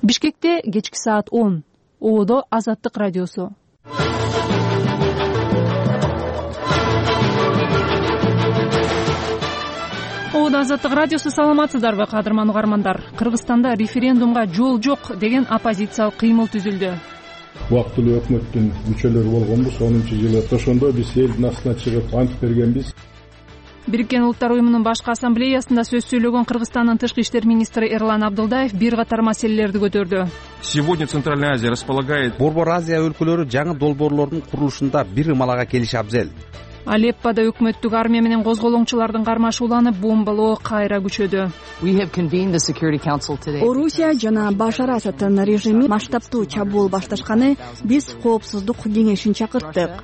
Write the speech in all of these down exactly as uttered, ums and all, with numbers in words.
Бишкекте кечки саат он. Ободо Азаттык радиосу. Ободо Азаттык радиосу. Саламатсыздарбы, кадырман угармандар? Кыргызстанда референдумга жол жок деген оппозициялык кыймыл түзүлдү. Убактылуу өкмөттүн мүчөлөрү болгонбуз. онунчу жылы ошондо биз элдин астына чыгып ант бергенбиз. Бириккен Улуттар уюмунун башкы ассамблеясында сөз сөйлөгөн Кыргызстандын тышкы иштер министри Эрлан Абдылдаев бир катар маселелерди көтөрдү. Сегодня Центральная Азия располагает. Борбор Азия өлкөлөрү жаңы долбоорлордун курулушунда бир ымалага келиши абзел. Алеппода өкмөттүк армия менен козголоңчулардын кармашууланып, бомбалоо кайра күчөдү. Орусия жана Башар Асаддын режими масштабтуу чабуул башташканы биз коопсуздук кеңешин чакырттык.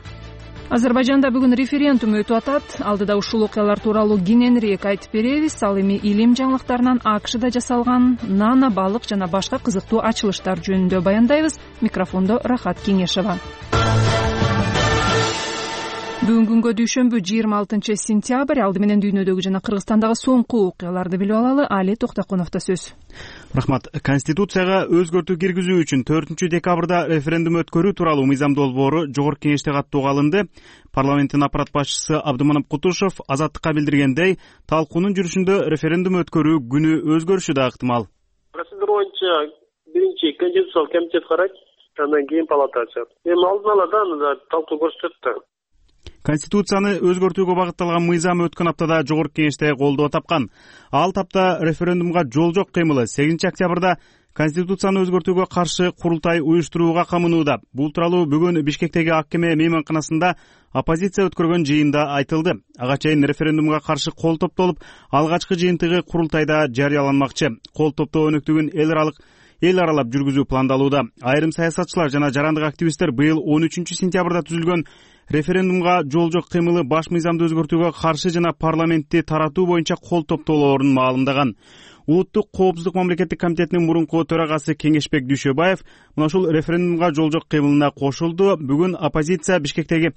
Азербайжанда бүгүн референдум өтүп атат. Алдыда ушул окуялар тууралуу кененирээк айтып беребиз. Ал эми илим жаңылыктарынан АКШда жасалган нано, балык жана башка кызыктуу ачылыштар жөнүндө баяндайбыз. Микрофондо Рахат Кеңешова. Бүгүн күнгө дүйшөмбү жыйырма алтынчы сентябрь. Алды менен дүйнөдөгү жана Кыргызстандагы соңку окуяларды билип алалы. Али Токтоконовдо сөз. Рахмат. Конституцияга өзгөртүү киргизүү үчүн төртүнчү декабрда референдум өткөрүү тууралуу мыйзам долбоору Жогорку Кеңеште каттоого алынды. Парламенттин аппарат башчысы Абдыманап Кутушев Азаттыкка билдиргендей, талкуунун жүрүшүндө референдум өткөрүү күнү өзгөрүшү да ыктымал. Процедура боюнча биринчи конституциялык комитет карайт, андан кийин палата ачат. Эми алдын ала да аны талкуу көрсөтөт да. Конституцияны өзгөртүүгө багытталган мыйзам өткөн аптада Жогорку Кеңеште колдоо тапкан. Ал тапта референдумга жол жок кыймылы сегизинчи октябрда Конституцияны өзгөртүүгө каршы курултай уюштурууга камынууда. Бул тууралуу бүгүн Бишкектеги Аккеме мейманканасында оппозиция өткөргөн жыйында айтылды. Ага чейин референдумга каршы кол топтолуп, алгачкы жыйынтыгы курултайда жарыяланмакчы. Кол топтоо өнөктүгүн эл аралык эл аралап жүргүзүү пландалууда. Айрым саясатчылар жана жарандык активисттер быйыл он үчүнчү сентябрда түзүлгөн референдумга жол жок кыймылы баш мыйзамды өзгөртүүгө каршы жана парламентти таратуу боюнча кол топтоолорун маалымдаган. Улуттук коопсуздук мамлекеттик комитетинин мурунку төрагасы Кеңешбек Дүйшөбаев мына ушул референдумга жол жок кыймылына кошулду. Бүгүн оппозиция Бишкектеги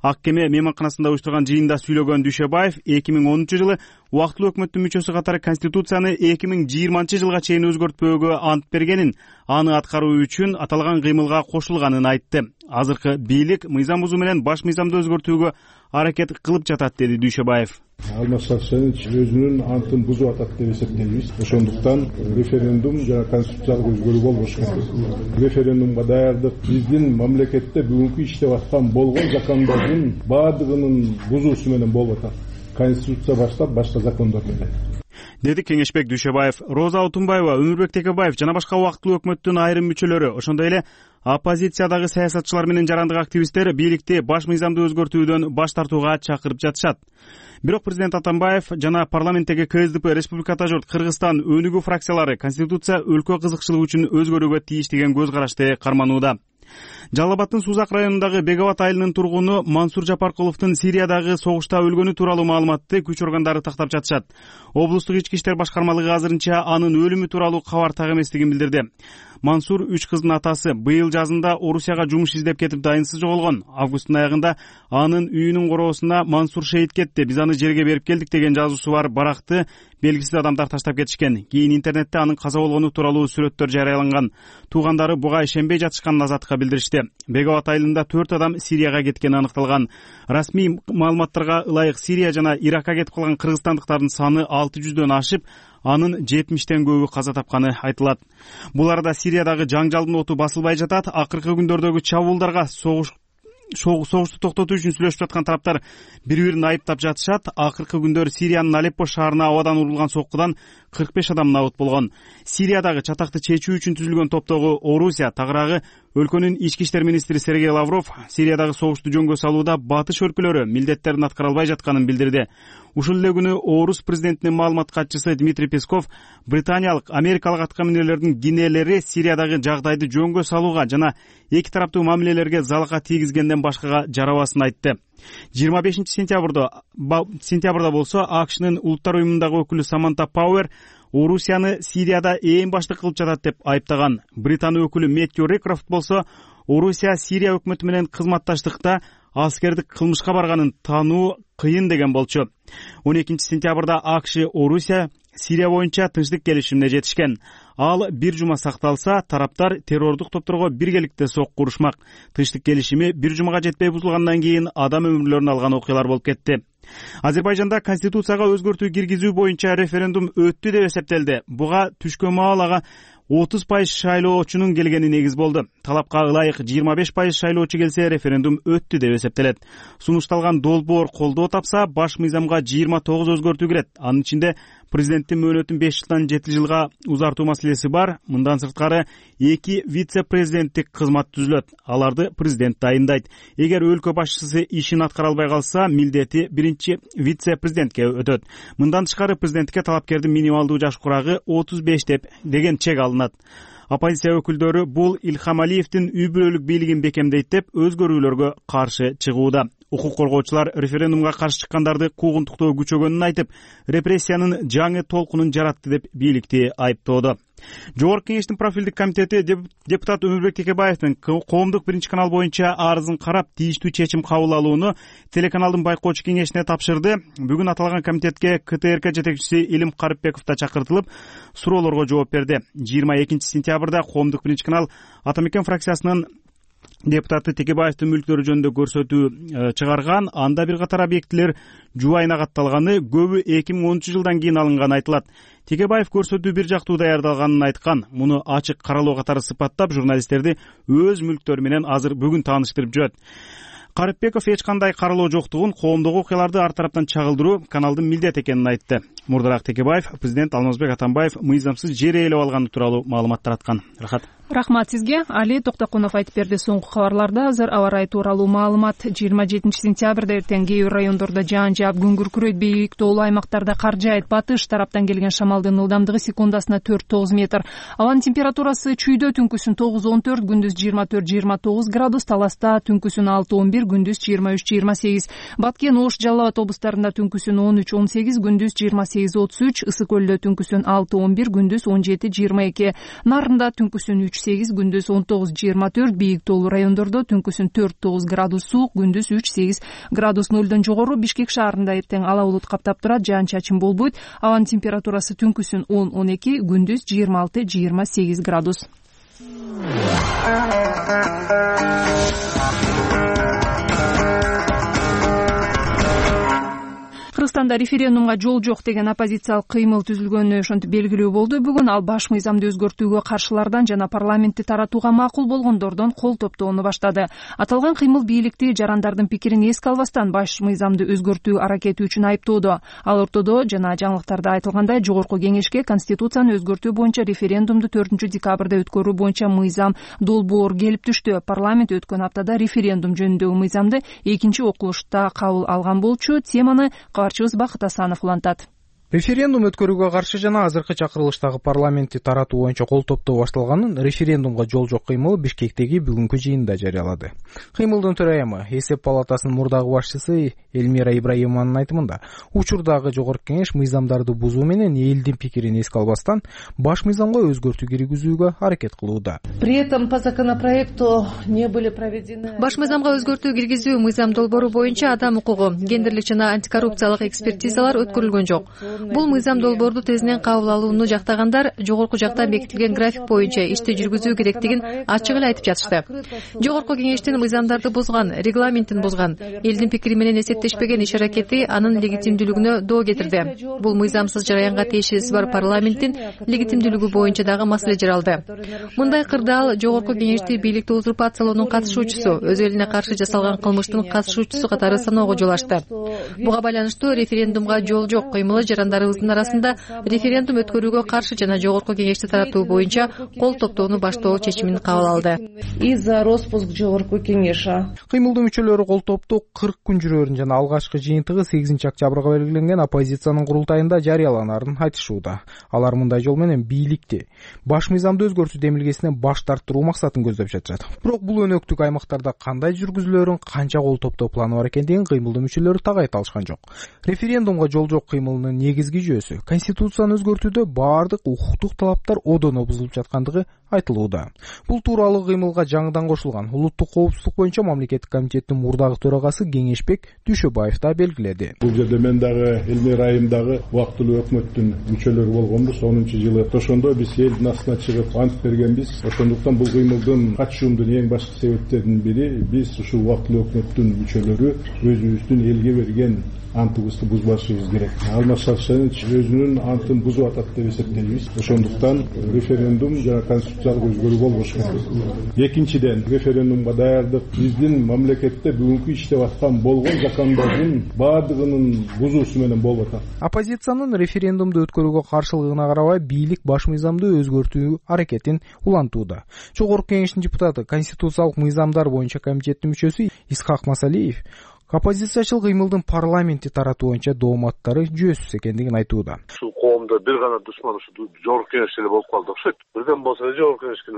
Аккеме мейманканасында уюштурган жыйында сүйлөгөн Дүйшөбаев эки миң онунчу жылы убактылуу өкмөттүн мүчөсү катары Конституцияны эки миң жыйырманчы жылга чейин өзгөртпөөгө ант бергенин, аны аткаруу үчүн аталган кыймылга кошулганын айтты. Азыркы бийлик мыйзам бузуу менен баш мыйзамды өзгөртүүгө аракет кылып жатат, деди Дүйшөбаев. Алмаз Сарсенович өзүнүн антын бузуп атат деп эсептейбиз. Ошондуктан референдум жана конституциялык өзгөрүү болбош керек. Референдумга даярдык биздин мамлекетте бүгүнкү иштеп аткан болгон закондордун баардыгынын бузуусу менен болуп атат. Конституция баштап башка закондор менен, деди Кеңешбек Дүйшөбаев. Роза Отунбаева, Өмүрбек Текебаев жана башка убактылуу өкмөттүн айрым мүчөлөрү, ошондой эле оппозициядагы саясатчылар менен жарандык активисттер бийликти баш мыйзамды өзгөртүүдөн баш тартууга чакырып жатышат. Бирок президент Атамбаев жана парламенттеги КСДП Республиката журт Кыргызстан өнүгүү фракциялары Конституция өлкө кызыкчылыгы үчүн өзгөрүүгө тийиш деген көз карашты карманууда. Жалал Абадтын Сузак районундагы Бегабат айылынын тургуну Мансур Жапаркуловдун Сириядагы согушта өлгөнү тууралуу маалыматты күч органдары тактап жатышат. Облустук ички иштер башкармалыгы азырынча анын өлүмү тууралуу кабар так эместигин билдирди. Мансур үч кыздын атасы. Быйыл жазында Орусияга жумуш издеп кетип дайынсыз жоголгон. Августтун аягында анын үйүнүн короосуна Мансур шейит кетти, биз аны жерге берип келдик деген жазуусу бар баракты белгисиз адамдар таштап кетишкен. Кийин интернетте анын каза болгону тууралуу сүрөттөр жарыяланган. Туугандары буга ишенбей жатышканын Азаттыкка билдиришти. Бегабат айылында төрт адам Сирияга кеткени аныкталган. Расмий маалыматтарга ылайык Сирия жана Иракка кетип калган кыргызстандыктардын саны алты жүздөн ашып, анын жетимиштен көбү каза тапканы айтылат. Бул арада Сириядагы жаңжалдын оту басылбай жатат. Акыркы күндөрдөгү чабуулдарга согуш согушту токтотуу үчүн сүйлөшүп жаткан тараптар бири-бирин айыптап жатышат. Акыркы күндөр Сириянын Алеппо шаарына абадан урулган соккудан кырк беш адам набыт болгон. Сириядагы чатакты чечүү үчүн түзүлгөн топтогу Орусия тагыраагы өлкөнүн ички иштер министри Сергей Лавров Сириядагы согушту жөнгө салууда батыш өлкөлөрү милдеттерин аткара албай жатканын билдирди. Ушул эле күнү Орус президентинин маалымат катчысы Дмитрий Песков британиялык, америкалык аткаминерлердин кенелери Сириядагы жагдайды жөнгө салууга жана эки тараптуу мамилелерге залака тийгизгенден башкага жарабасын айтты. жыйырма бешинчи сентябрда сентябрда болсо АКШнын улуттар уюмундагы өкүлү Саманта Пауэр Орусияны Сирияда ээн баштык кылып жатат деп айыптаган. Британ өкүлү Мэттью Рекрофт болсо Орусия Сирия өкмөтү менен кызматташтыкта аскердик кылмышка барганын таануу кыйын деген болчу. он экинчи сентябрда АКШ Орусия Сирия боюнча тынчтык келишимине жетишкен. ал бир жума сакталса, тараптар террордук топторго биргеликте сокку урушмак. Тынчтык келишими бир жумага жетпей бузулгандан кийин адам өмүрлөрүн алган окуялар болуп кетти. Азербайжанда конституцияга өзгөртүү киргизүү боюнча референдум өттү деп эсептелди. Буга түшкөн маалага отуз пайыз шайлоочунун келгени негиз болду. Талапка ылайык жыйырма беш пайыз шайлоочу келсе, референдум өттү деп эсептелет. Сунушталган долбоор колдоо тапса, баш мыйзамга жыйырма тогуз өзгөртүү кирет. Анын ичинде президенттин мөөнөтүн беш жылдан жети жылга узартуу маселеси бар. Мындан сырткары эки вице-президенттик кызмат түзүлөт. Аларды президент дайындайт. Эгер өлкө башчысы ишин аткара албай калса, милдети биринчи вице-президентке өтөт. Мындан тышкары президентке талапкердин минималдуу жаш курагы отуз беш деп деген чек алынат. Оппозиция өкүлдөрү бул Илхам Алиевдин үй бүлөлүк бийлигин бекемдейт деп өзгөрүүлөргө каршы чыгууда. Укук коргоочулар референдумга каршы чыккандарды куугунтуктоо күчөгөнүн айтып, репрессиянын жаңы толкунун жаратты деп бийликти айыптоодо. Жогорку кеңештин профилдик комитети депутат Өмүрбек Текебаевдин коомдук биринчи канал боюнча арызын карап, тийиштүү чечим кабыл алууну телеканалдын байкоочу кеңешине тапшырды. Бүгүн аталган комитетке КТРК жетекчиси Илим Карыпбеков да чакыртылып, суроолорго жооп берди. жыйырма экинчи сентябрда коомдук биринчи канал Ата Мекен фракциясынын депутаты Текебаевдин мүлктөрү жөнүндө көрсөтүү чыгарган. Анда бир катар объектилер жубайына катталганы, көбү эки миң онунчу жылдан кийин алынганы айтылат. Текебаев көрсөтүү бир жактуу даярдалганын айткан. Муну ачык каралоо катары сыпаттап, журналисттерди өз мүлктөрү менен азыр бүгүн тааныштырып жүрөт. Карыпбеков эч кандай каралоо жоктугун, коомдук окуяларды ар тараптан чагылдыруу каналдын милдети экенин айтты. Мурдараак Текебаев президент Алмазбек Атамбаев мыйзамсыз жер ээлеп алганы тууралуу маалымат тараткан. Рахат. Рахмат сизге. Али Токтокунов айтып берди. Соңку кабарларда азыр аба ырайы тууралуу маалымат. жыйырма жетинчи сентябрда эртең кээ бир райондордо жаан жаап, күн күркүрөйт, бийик тоолуу аймактарда кар жаайт. Батыш тараптан келген шамалдын ылдамдыгы секундасына төрт тогуз метр. Абанын температурасы чүйдө түнкүсүн тогуз он төрт, күндүз жыйырма төрт жыйырма тогуз градус, Таласта түнкүсүн алты он бир, күндүз жыйырма үч жыйырма сегиз. Баткен, Ош, Жалал Абад облустарында түнкүсүн он үч он сегиз, күндүз жыйырма сегиз отуз үч, Ысык көлдө түнкүсүн алты он бир, күндүз он жети жыйырма эки. Нарында түнкүсүн үч сегиз, күндүз он тогуз жыйырма төрт, бийик тоолуу райондордо түнкүсүн төрт тогуз градус суук, күндүз үч сегиз градус нөлдөн жогору. Бишкек шаарында эртең ала булут каптап турат, жаан чачын болбойт. Абанын температурасы түнкүсүн он он эки, күндүз жыйырма алты жыйырма сегиз градус. Кыргызстанда референдумга жол жок деген оппозициялык кыймыл түзүлгөнү ошентип белгилүү болду. Бүгүн ал баш мыйзамды өзгөртүүгө каршылардан жана парламентти таратууга макул болгондордон кол топтоону баштады. Аталган кыймыл бийликти жарандардын пикирин эске албастан баш мыйзамды өзгөртүү аракети үчүн айыптоодо. Ал ортодо жана жаңылыктарда айтылгандай, жогорку кеңешке конституцияны өзгөртүү боюнча референдумду төртүнчү декабрда өткөрүү боюнча мыйзам долбоор келип түштү. Парламент өткөн аптада референдум жөнүндөгү мыйзамды экинчи окулушта кабыл алган болчу. Теманы кабарчыбыз Бакыт Асанов улантат. Референдум өткөрүүгө каршы жана азыркы чакырылыштагы парламентти таратуу боюнча кол топтоо башталганын референдумга жол жок кыймылы Бишкектеги бүгүнкү жыйында жарыялады. Кыймылдын төрайымы, эсеп палатасынын мурдагы башчысы Элмира Ибраимованын айтымында, учурдагы жогорку кеңеш мыйзамдарды бузуу менен элдин пикирин эске албастан баш мыйзамга өзгөртүү киргизүүгө аракет кылууда. При этом по законопроекту не были проведены. Баш мыйзамга өзгөртүү киргизүү мыйзам долбоору боюнча адам укугу, гендерлик жана антикоррупциялык экспертизалар өткөрүлгөн жок. Бул мыйзам долбоорду тезинен кабыл алууну жактагандар жогорку жакта бекитилген график боюнча ишти жүргүзүү керектигин ачык эле айтып жатышты. Жогорку кеңештин мыйзамдарды бузган, регламентин бузган, элдин пикири менен эсептешпеген иш аракети анын легитимдүүлүгүнө доо кетирди. Бул мыйзамсыз жараянга тиешеси бар парламенттин легитимдүүлүгү боюнча дагы маселе жаралды. Мындай кырдаал жогорку кеңешти бийликти узурпациялоонун катышуучусу, өз элине каршы жасалган кылмыштын катышуучусу катары саноого жол ачты. Буга байланыштуу референдумга жол жок кыймылы жарандарыбыздын арасында референдум өткөрүүгө каршы жана жогорку кеңешти таратуу боюнча кол топтоону баштоо чечимин кабыл алды. И за распуск жогорку кеңеша. Кыймылдын мүчөлөрү кол топтоо кырк күн жүрөрүн жана алгачкы жыйынтыгы сегизинчи октябрга белгиленген оппозициянын курултайында жарыяланарын айтышууда. Алар мындай жол менен бийликти баш мыйзамды өзгөртүү демилгесинен баш тарттыруу максатын көздөп жатышат. Бирок бул өнөктүк аймактарда кандай жүргүзүлөрүн, канча кол топтоо планы бар экендигин кыймылдын мүчөлөрү так айта алышкан жок. Референдумга жол жок кыймылынын негизги жүйөсү конституцияны өзгөртүүдө баардык укуктук талаптар одоно бузулуп жаткандыгы айтылууда. Бул тууралуу кыймылга жаңыдан кошулган улуттук коопсуздук боюнча мамлекеттик комитеттин мурдагы төрагасы Кеңешбек Дүйшөбаев да белгиледи. Бул жерде мен дагы Элмер айымдагы убактылуу өкмөттүн мүчөлөрү болгонбуз. онунчу жылы ошондо биз элдин астына чыгып ант бергенбиз. Ошондуктан бул кыймылдын катышуумдун эң башкы себептеринин бири биз ушул убактылуу өкмөттүн мүчөлөрү өзүбүздүн элге берген антыбызды бузбашыбыз керек. Алмаз Шаршенович өзүнүн антын бузуп атат деп эсептейбиз. Ошондуктан референдум жана конституциялык өзгөрүү болбош керек. Экинчиден, референдумга даярдык биздин мамлекетте бүгүнкү иштеп аткан болгон закондордун баардыгынын бузуусу менен болуп атат. Оппозициянын референдумду өткөрүүгө каршылыгына карабай бийлик баш мыйзамды өзгөртүү аракетин улантууда. Жогорку Кеңештин депутаты, Конституциялык мыйзамдар боюнча комитеттин мүчөсү Исхак Масалиев оппозициячыл кыймылдын парламентти таратуу боюнча дооматтары жүйөсүз экендигин айтууда. Ушул коомдо бир гана душман ушу Жогорку Кеңеш эле болуп калды окшойт. Бирден болсо эле Жогорку Кеңешке.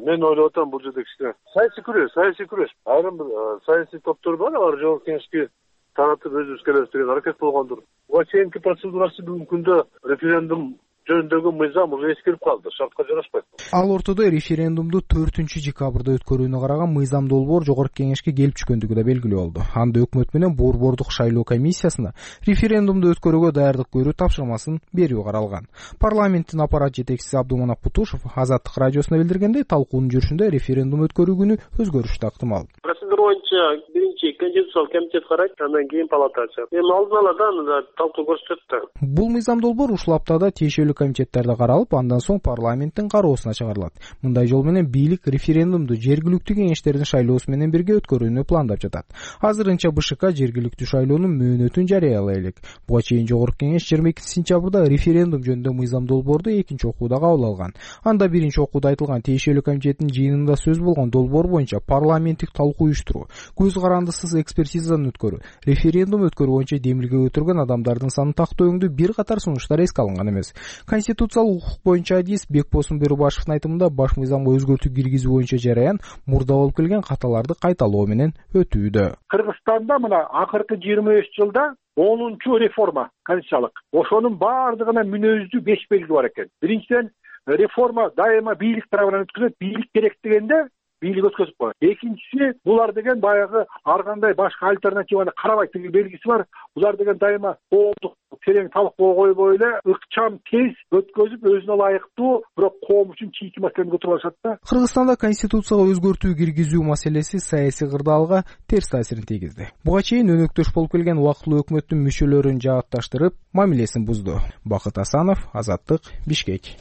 Мен ойлоп атам, бул жерде кичине саясий күрөш, саясий күрөш. Айрым бир саясий топтор бар, алар Жогорку Кеңешке таратып өзүбүз келебиз деген аракет болгондур. Буга чейинки процедурасы бүгүнкү күндө референдум жөнүндөгү мыйзам уже эскирип калды, шартка жарашпайт. Ал ортодо референдумду төртүнчү декабрда өткөрүүнү караган мыйзам долбоор Жогорку Кеңешке келип түшкөндүгү да белгилүү болду. Анда өкмөт менен борбордук шайлоо комиссиясына референдумду өткөрүүгө даярдык көрүү тапшырмасын берүү каралган. Парламенттин аппарат жетекчиси Абдуманап Путушев Азаттык радиосуна билдиргендей, талкуунун жүрүшүндө референдум өткөрүү күнү өзгөрүш да ыктымал. Процедура боюнча биринчи Конституциялык комитет карайт, андан кийин палата ачат. Эми алдын ала да талкуу көрсөтөт да. Бул мыйзам долбоор ушул аптада тиешелүү комитеттерде каралып, андан соң парламенттин кароосуна чыгарылат. Мындай жол менен бийлик референдумду жергиликтүү кеңештердин шайлоосу менен бирге өткөрүүнү пландап жатат. Азырынча БШК жергиликтүү шайлоонун мөөнөтүн жарыялай элек. Буга чейин Жогорку Кеңеш жыйырма экинчи сентябрда референдум жөнүндө мыйзам долбоорду экинчи окууда кабыл алган. Анда биринчи окууда айтылган тиешелүү комитеттин жыйынында сөз болгон долбоор боюнча парламенттик талкуу уюштуруу, көз карандысыз экспертизадан өткөрүү, референдум өткөрүү боюнча демилге өтүргөн адамдардын санын тактооңдүү бир катар сунуштар эске алынган эмес. Конституциялык укук боюнча адис Бекбосун Берубашевдин айтымында баш мыйзамга өзгөртүү киргизүү боюнча жараян мурда болуп келген каталарды кайталоо менен өтүүдө. Кыргызстанда мына акыркы жыйырма беш жылда онунчу реформа конституциялык. Ошонун баардыгына мүнөздүү беш белги бар экен. Биринчиден, реформа дайыма бийлик тарабынан өткөзүлөт, бийлик керек дегенде бийлик өткөзүп коет. Экинчиси, булар деген баягы ар кандай башка альтернативаны карабайт деген белгиси бар. Булар деген дайыма коомдук терең талкууга койбой эле ыкчам тез өткөзүп, өзүнө ылайыктуу, бирок коом үчүн чийки маселени көтөрүп алышат да. Кыргызстанда конституцияга өзгөртүү киргизүү маселеси саясий кырдаалга терс таасирин тийгизди. Буга чейин өнөктөш болуп келген убактылуу өкмөттүн мүчөлөрүн жаатташтырып, мамилесин бузду. Бакыт Асанов, Азаттык, Бишкек.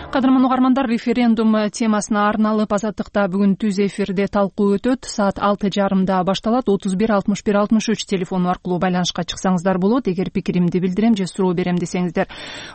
Кадырман угармандар, референдум темасына арналып Азаттыкта бүгүн түз эфирде талкуу өтөт. Саат алты жарымда башталат. отуз бир алтымыш бир алтымыш үч телефону аркылуу байланышка чыксаңыздар болот. Эгер пикиримди билдирем же суроо берем десеңиздер.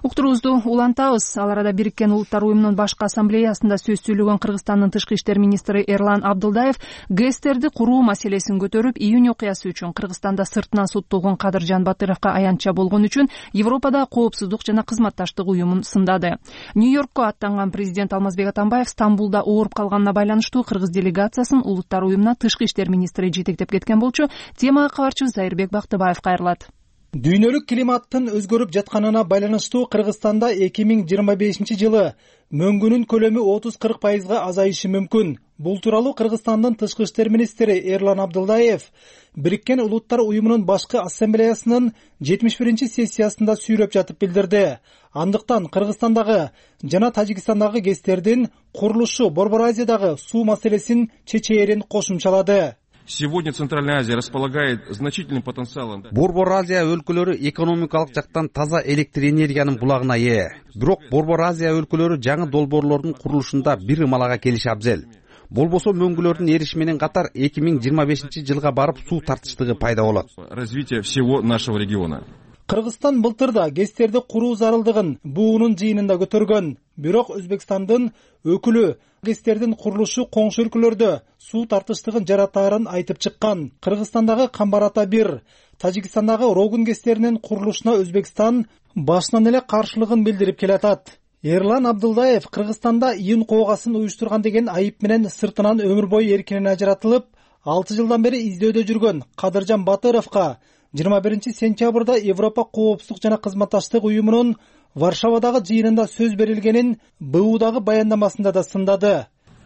Уктуруубузду улантабыз. Ал арада Бириккен Улуттар уюмунун башкы ассамблеясында сөз сүйлөгөн Кыргызстандын тышкы иштер министри Эрлан Абдылдаев ГЭСтерди куруу маселесин көтөрүп, июнь окуясы үчүн Кыргызстанда сыртынан соттолгон Кадыржан Батыровго аянтча болгон үчүн Европада коопсуздук жана кызматташтык уюмун сындады. Нью-Йоркко аттанган президент Алмазбек Атамбаев Стамбулда ооруп калганына байланыштуу кыргыз делегациясын Улуттар уюмуна тышкы иштер министри жетектеп кеткен болчу. Темага кабарчыбыз Зайырбек Бактыбаев кайрылат. Дүйнөлүк климаттын өзгөрүп жатканына байланыштуу Кыргызстанда эки миң жыйырма бешинчи жылы мөңгүнүн көлөмү отуз кырк пайызга азайышы мүмкүн. Бул тууралуу Кыргызстандын тышкы иштер министри Эрлан Абдылдаев Бириккен Улуттар уюмунун башкы ассамблеясынын жетимиш биринчи сессиясында сүйлөп жатып билдирди. Андыктан Кыргызстандагы жана Тажикстандагы ГЭСтердин курулушу Борбор Азиядагы суу маселесин чечээрин кошумчалады. Сегодня Центральная Азия располагает значительным потенциалом. Борбор Азия өлкөлөрү экономикалык жактан таза электр энергиянын булагына ээ. Бирок Борбор Азия өлкөлөрү жаңы долбоорлордун курулушунда бир ымалага келиши абзел. Болбосо мөңгүлөрдүн эришими менен катар эки миң жыйырма бешинчи жылга барып суу тартыштыгы пайда болот. Развитие всего нашего региона. Кыргызстан былтырда ГЭСтерди куруу зарылдыгын буунун жыйынында көтөргөн. Бирок Өзбекстандын өкүлү ГЭСтердин курулушу коңшу өлкөлөрдө суу тартыштыгын жаратаарын айтып чыккан. Кыргызстандагы Камбар-Ата бир, Тажикстандагы Рогун ГЭСтеринин курулушуна Өзбекстан башынан эле каршылыгын билдирип келатат. Эрлан Абдылдаев Кыргызстанда июнь коогасын уюштурган деген айып менен сыртынан өмүр бою эркинен ажыратылып, алты жылдан бери издөдө жүргөн Кадыржан Батыровго жыйырма биринчи сентябрда Европа коопсуздук жана кызматташтык уюмунун Варшавадагы жыйынында сөз берилгенин бэ удагы баяндамасында да сындады.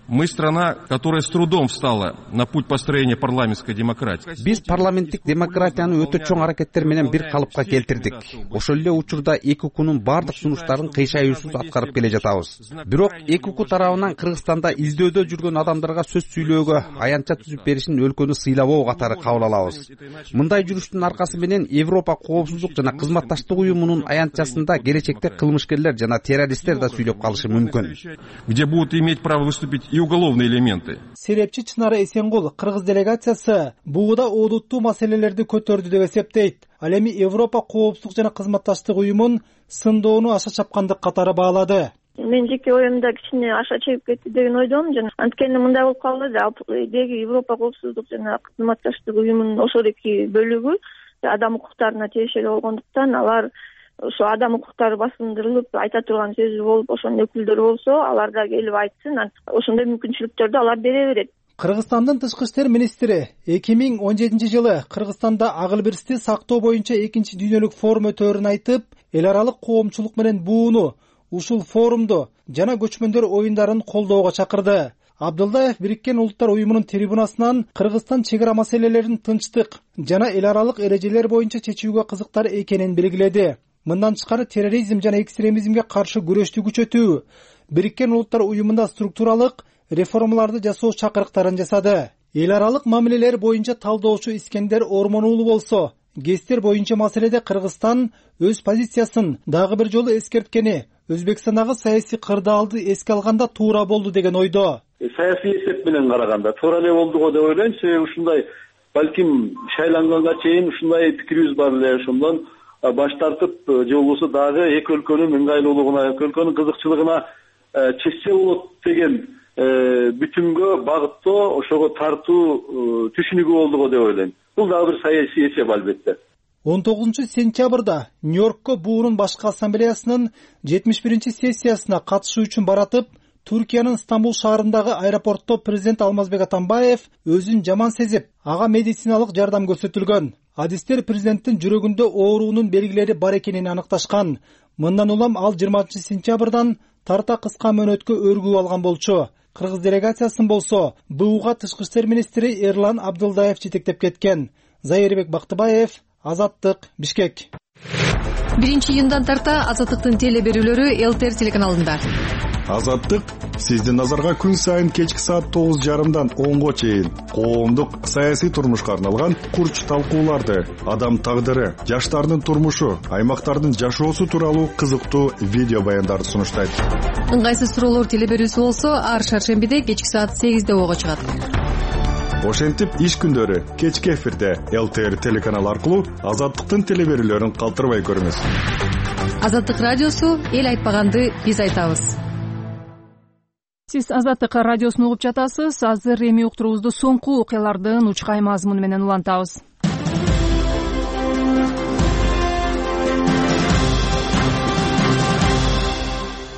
Мы страна, которая с трудом встала на путь построения парламентской демократии. Биз парламенттик демократияны өтө чоң аракеттер менен бир калыпка келтирдик. Ошол эле учурда эки укунун бардык сунуштарын кыйшайуусуз аткарып келе жатабыз. Бирок эки уку тарабынан Кыргызстанда издөдө жүргөн адамдарга сөз сүйлөөгө аянтча түзүп беришин өлкөнү сыйлабоо катары кабыл алабыз. Мындай жүрүштүн аркасы менен Европа коопсуздук жана кызматташтык уюмунун аянтчасында келечекте кылмышкерлер жана террористтер да сүйлөп калышы мүмкүн. Где будут иметь право выступить и уголовные элементы. Серепчи Чынара Эсенгул кыргыз делегациясы бууда одуттуу маселелерди көтөрдү деп эсептейт. Ал эми Европа коопсуздук жана кызматташтык уюмун сындоону аша чапкандык катары баалады. Мен жеке оюмда кичине аша чегип кетти деген ойдомун. Жана анткени мындай болуп калды. Деги Европа коопсуздук жана кызматташтык уюмунун ошол эки бөлүгү адам укуктарына тиешелүү болгондуктан алар ошо адам укуктары басындырылып айта турган сөзү болуп ошонун өкүлдөрү болсо алар да келип айтсын, ошондой мүмкүнчүлүктөрдү алар бере берет. Кыргызстандын тышкы иштер министри эки миң он жетинчи жылы Кыргызстанда акыл бирсти сактоо боюнча экинчи дүйнөлүк форум өтөөрүн айтып, эл аралык коомчулук менен бууну, ушул форумду жана көчмөндөр оюндарын колдоого чакырды. Абдылдаев Бириккен Улуттар уюмунун трибунасынан Кыргызстан чек ара маселелерин тынчтык жана эл аралык эрежелер боюнча чечүүгө кызыктар экенин белгиледи. Мындан тышкары терроризм жана экстремизмге каршы күрөштү күчөтүү, Бириккен Улуттар уюмунда структуралык реформаларды жасоо чакырыктарын жасады. Эл аралык мамилелер боюнча талдоочу Искендер Ормон уулу болсо, ГЭСтер боюнча маселеде Кыргызстан өз позициясын дагы бир жолу эскерткени, Өзбекстандагы саясий кырдаалды эске алганда туура болду деген ойдо. Саясий эсеп менен караганда туура эле болду го деп ойлойм. Себеби ушундай балким шайланганга чейин ушундай пикирибиз бар эле, ошондон баш тартып же болбосо дагы эки өлкөнүн ыңгайлуулугуна, эки өлкөнүн кызыкчылыгына чечсе болот деген бүтүнгө багыттоо, ошого тартуу түшүнүгү болду го деп ойлойм. Бул дагы бир саясий эсеп албетте. он тогузунчу сентябрда Нью-Йоркко буунун башкы ассамблеясынын жетимиш биринчи сессиясына катышуу үчүн баратып, Түркиянын Стамбул шаарындагы аэропортто президент Алмазбек Атамбаев өзүн жаман сезип, ага медициналык жардам көрсөтүлгөн. Адистер президенттин жүрөгүндө оорунун белгилери бар экенин аныкташкан. Мындан улам ал жыйырманчы сентябрдан тарта кыска мөөнөткө өргүп алган болчу. Кыргыз делегациясын болсо БУга тышкы иштер министри Эрлан Абдылдаев жетектеп кеткен. Зайырбек Бактыбаев, Азаттык, Бишкек. биринчи июндан тарта Азаттыктын теле берүүлөрү Эл Т Р телеканалында. Азаттык сиздин назарга күн сайын кечки саат тогуз жарымдан онго чейин коомдук саясий турмушка арналган курч талкууларды, адам тагдыры, жаштардын турмушу, аймактардын жашоосу тууралуу кызыктуу видео баяндарды сунуштайт. Ыңгайсыз суроолор теле берүүсү болсо ар шаршембиде кечки саат сегизде ого чыгат. Ошентип иш күндөрү кечки эфирде Эл Т Р телеканалы аркылуу Азаттыктын теле берүүлөрүн калтырбай көрүңүз. Азаттык радиосу эл айтпаганды биз айтабыз. Сиз Азаттык радиосун угуп жатасыз. Азыр эми уктуруубузду соңку окуялардын учкай мазмуну менен улантабыз.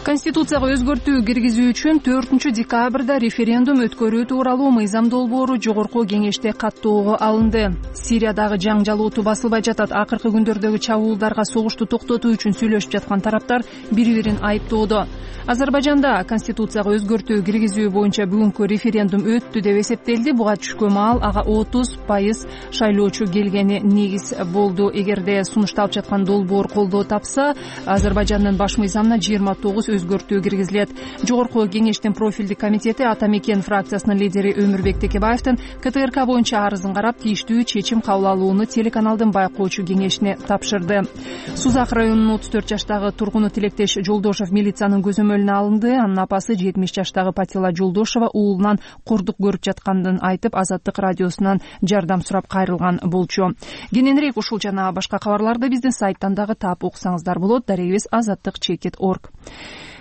Конституцияга өзгөртүү киргизүү үчүн төртүнчү декабрда референдум өткөрүү тууралуу мыйзам долбоору жогорку кеңеште каттоого алынды. Сириядагы жаңжал оту басылбай жатат. Акыркы күндөрдөгү чабуулдарга согушту токтотуу үчүн сүйлөшүп жаткан тараптар бири-бирин айыптоодо. Азербайжанда конституцияга өзгөртүү киргизүү боюнча бүгүнкү референдум өттү деп эсептелди. Буга түшкөн маал ага отуз пайыз шайлоочу келгени негиз болду. Эгерде сунушталып жаткан долбоор колдоо тапса, Азербайжандын баш мыйзамына жыйырма тогуз өзгөртүү киргизилет. Жогорку кеңештин профилдик комитети Ата Мекен фракциясынын лидери Өмүрбек Текебаевдин К Т Р К боюнча арызын карап, тийиштүү чечим кабыл алууну телеканалдын байкоочу кеңешине тапшырды. Сузак районунун отуз төрт жаштагы тургуну Тилектеш Жолдошов милициянын көзөмөлүнө алынды. Анын апасы жетимиш жаштагы Патила Жолдошова уулунан кордук көрүп жаткандын айтып, Азаттык радиосунан жардам сурап кайрылган болчу. Кененирээк ушул жана башка кабарларды биздин сайттан дагы таап окусаңыздар болот. Дарегибиз азаттык чекит точка орг.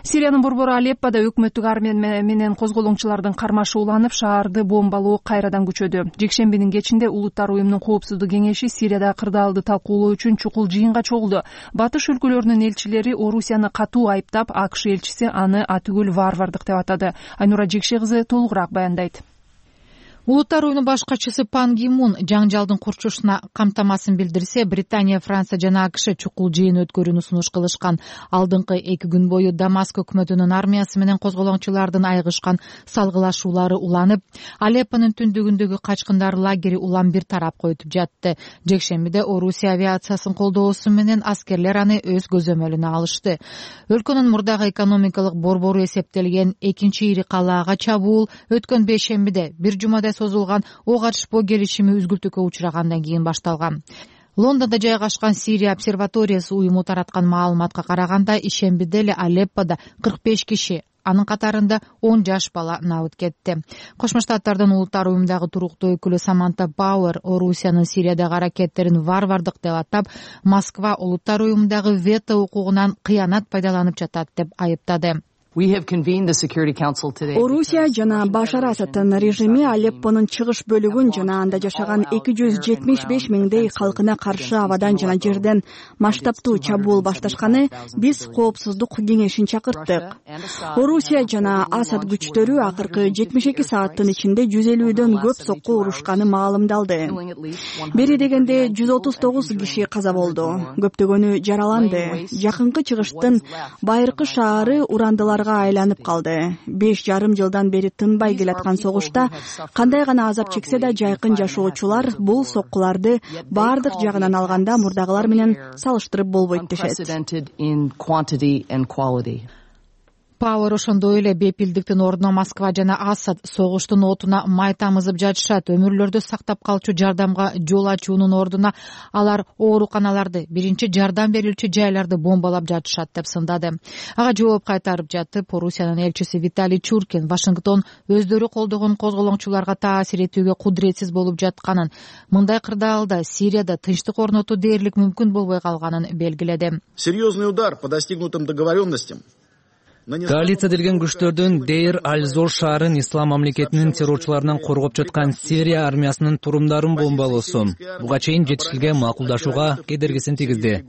Сириянын борбору Алеппода өкмөттүк армия менен козголоңчулардын кармашы уланып, шаарды бомбалоо кайрадан күчөдү. Жекшембинин кечинде Улуттар уюмунун коопсуздук кеңеши Сирияда кырдаалды талкуулоо үчүн чукул жыйынга чогулду. Батыш өлкөлөрүнүн элчилери Орусияны катуу айыптап, АКШ элчиси аны атүгүл варвардык деп атады. Айнура Жекше кызы толугураак баяндайт. Улуттар уюмунун баш катчысы Пан Ги Мун жаңжалдын курчушуна камтамасын билдирсе, Британия, Франция жана АКШ чукул жыйын өткөрүүнү сунуш кылышкан. Алдыңкы эки күн бою Дамаск өкмөтүнүн армиясы менен козголоңчулардын айыгышкан салгылашуулары уланып, Алеппонун түндүгүндөгү качкындар лагери улам бир тарапка өтүп жатты. Жекшембиде Орусия авиациясын колдоосу менен аскерлер аны өз көзөмөлүнө алышты. Өлкөнүн мурдагы экономикалык борбору эсептелген экинчи ири калаага чабуул өткөн бейшембиде бир жумада созулган ок атышпоо келишими үзгүлтүүгө учурагандан кийин башталган. Лондондо жайгашкан Сирия обсерваториясы уюму тараткан маалыматка караганда, ишембиде эле Алепподо кырк беш киши, анын катарында он жаш бала набыт кетти. Кошмо Штаттардын улуттар уюмундагы туруктуу өкүлү Саманта Пауэр Орусиянын Сириядагы аракеттерин варвардык деп атап, Москва улуттар уюмундагы вето укугунан кыянат пайдаланып жатат деп айыптады. Орусия жана Башар Асаддын режими Алеппонун чыгыш бөлүгүн жана анда жашаган эки жүз жетимиш беш миңдей калкына каршы абадан жана жерден масштабтуу чабуул башташканы биз коопсуздук кеңешин чакырттык. Орусия жана Асад күчтөрү акыркы жетимиш эки сааттын ичинде жүз элүүдөн көп сокку урушканы маалымдалды. Бери дегенде жүз отуз тогуз киши каза болду, көптөгөнү жараланды. Жакынкы чыгыштын байыркы шаары урандыларга айланып калды. Беш жарым жылдан бери тынбай келаткан согушта кандай гана азап чексе да, жайкын жашоочулар бул соккуларды баардык жагынан алганда мурдагылар менен салыштырып болбойт дешет. Пауэр ошондой эле бепилдиктин ордуна Москва жана Асад согуштун отуна май тамызып жатышат. Өмүрлөрдү сактап калчу жардамга жол ачуунун ордуна алар ооруканаларды, биринчи жардам берилчү жайларды бомбалап жатышат деп сындады. Ага жооп кайтарып жатып, Орусиянын элчиси Виталий Чуркин Вашингтон өздөрү колдогон козголоңчуларга таасир этүүгө кудуретсиз болуп жатканын, мындай кырдаалда Сирияда тынчтык орнотуу дээрлик мүмкүн болбой калганын белгиледи. Серьезный удар по достигнутым договоренностям. Коалиция делген күчтөрдүн Дейр аль-Зор шаарын ислам мамлекетинин террорчуларынан коргоп жаткан Сирия армиясынын турумдарын бомбалоосу буга чейин жетишилген макулдашууга кедергисин тийгизди.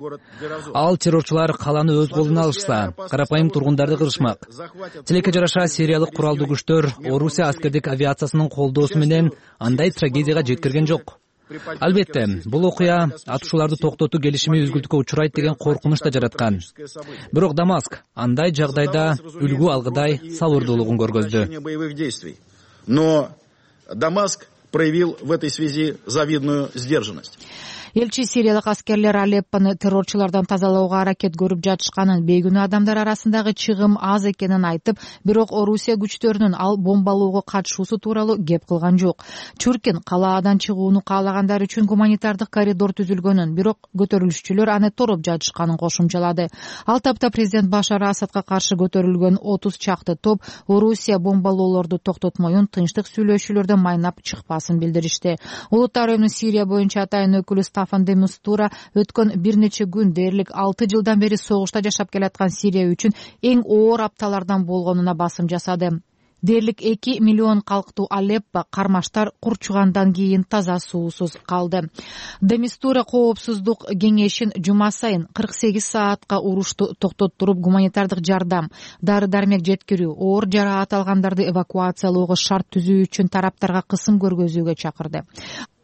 Ал террорчулар каланы өз колуна алышса, карапайым тургундарды кырышмак. Тилекке жараша сириялык куралдуу күчтөр Орусия аскердик авиациясынын колдоосу менен андай трагедияга жеткирген жок. Албетте, бул окуя атышууларды токтотуу келишими үзгүлтүккө учурайт деген коркунуч да жараткан. Бирок Дамаск андай жагдайда үлгү алгыдай сабырдуулугун көргөздү. Но Дамаск проявил в этой связи завидную сдержанность. Элчи сириялык аскерлер Алеппону террорчулардан тазалоого аракет көрүп жатышканын, бейгүнөө адамдар арасындагы чыгым аз экенин айтып, бирок Орусия күчтөрүнүн ал бомбалоого катышуусу тууралуу кеп кылган жок. Чуркин калаадан чыгууну каалагандар үчүн гуманитардык коридор түзүлгөнүн, бирок көтөрүлүшчүлөр аны тороп жатышканын кошумчалады. Ал тапта президент Башар Асадка каршы көтөрүлгөн отуз чакты топ Орусия бомбалоолорду токтотмоюн, тынчтык сүйлөшүүлөрдө майнап чыкпасын билдиришти. Улуттар уюмунун Сирия боюнча атайын өкүлү Стафан де Мистура өткөн бир нече күн дээрлик алты жылдан бери согушта жашап келаткан Сирия үчүн эң оор апталардан болгонуна басым жасады. Дээрлик эки миллион калктуу Алеппо кармаштар курчугандан кийин таза суусуз калды. Де Мистура коопсуздук кеңешин жума сайын кырк сегиз саатка урушту токтоттуруп, гуманитардык жардам, дары-дармек жеткирүү, оор жараат алгандарды эвакуациялоого шарт түзүү үчүн тараптарга кысым көргөзүүгө чакырды.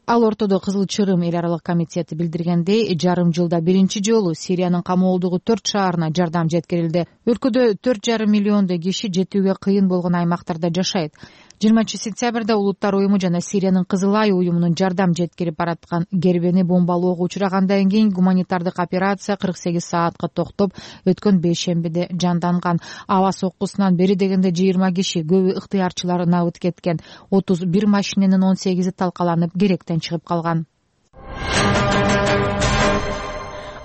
Ал ортодо Кызыл Чырым эл аралык комитети билдиргендей, жарым жылда биринчи жолу Сириянын камоолдугу төрт шаарына жардам жеткирилди. Өлкөдө төрт жарым миллиондой киши жетүүгө кыйын болгон аймактарда жашайт. жыйырманчы сентябрда Улуттар уюму жана Сириянын Кызыл Ай уюмунун жардам жеткирип бараткан Гербени бомбалоого учурагандан кийин гуманитардык операция кырк сегиз саатка токтоп, өткөн бейшембиде жанданган. Аба соккусунан бери дегенде жыйырма киши, көбү ыктыярчылар набыт кеткен. отуз бир машиненин он сегизи талкаланып, керектен чыгып калган.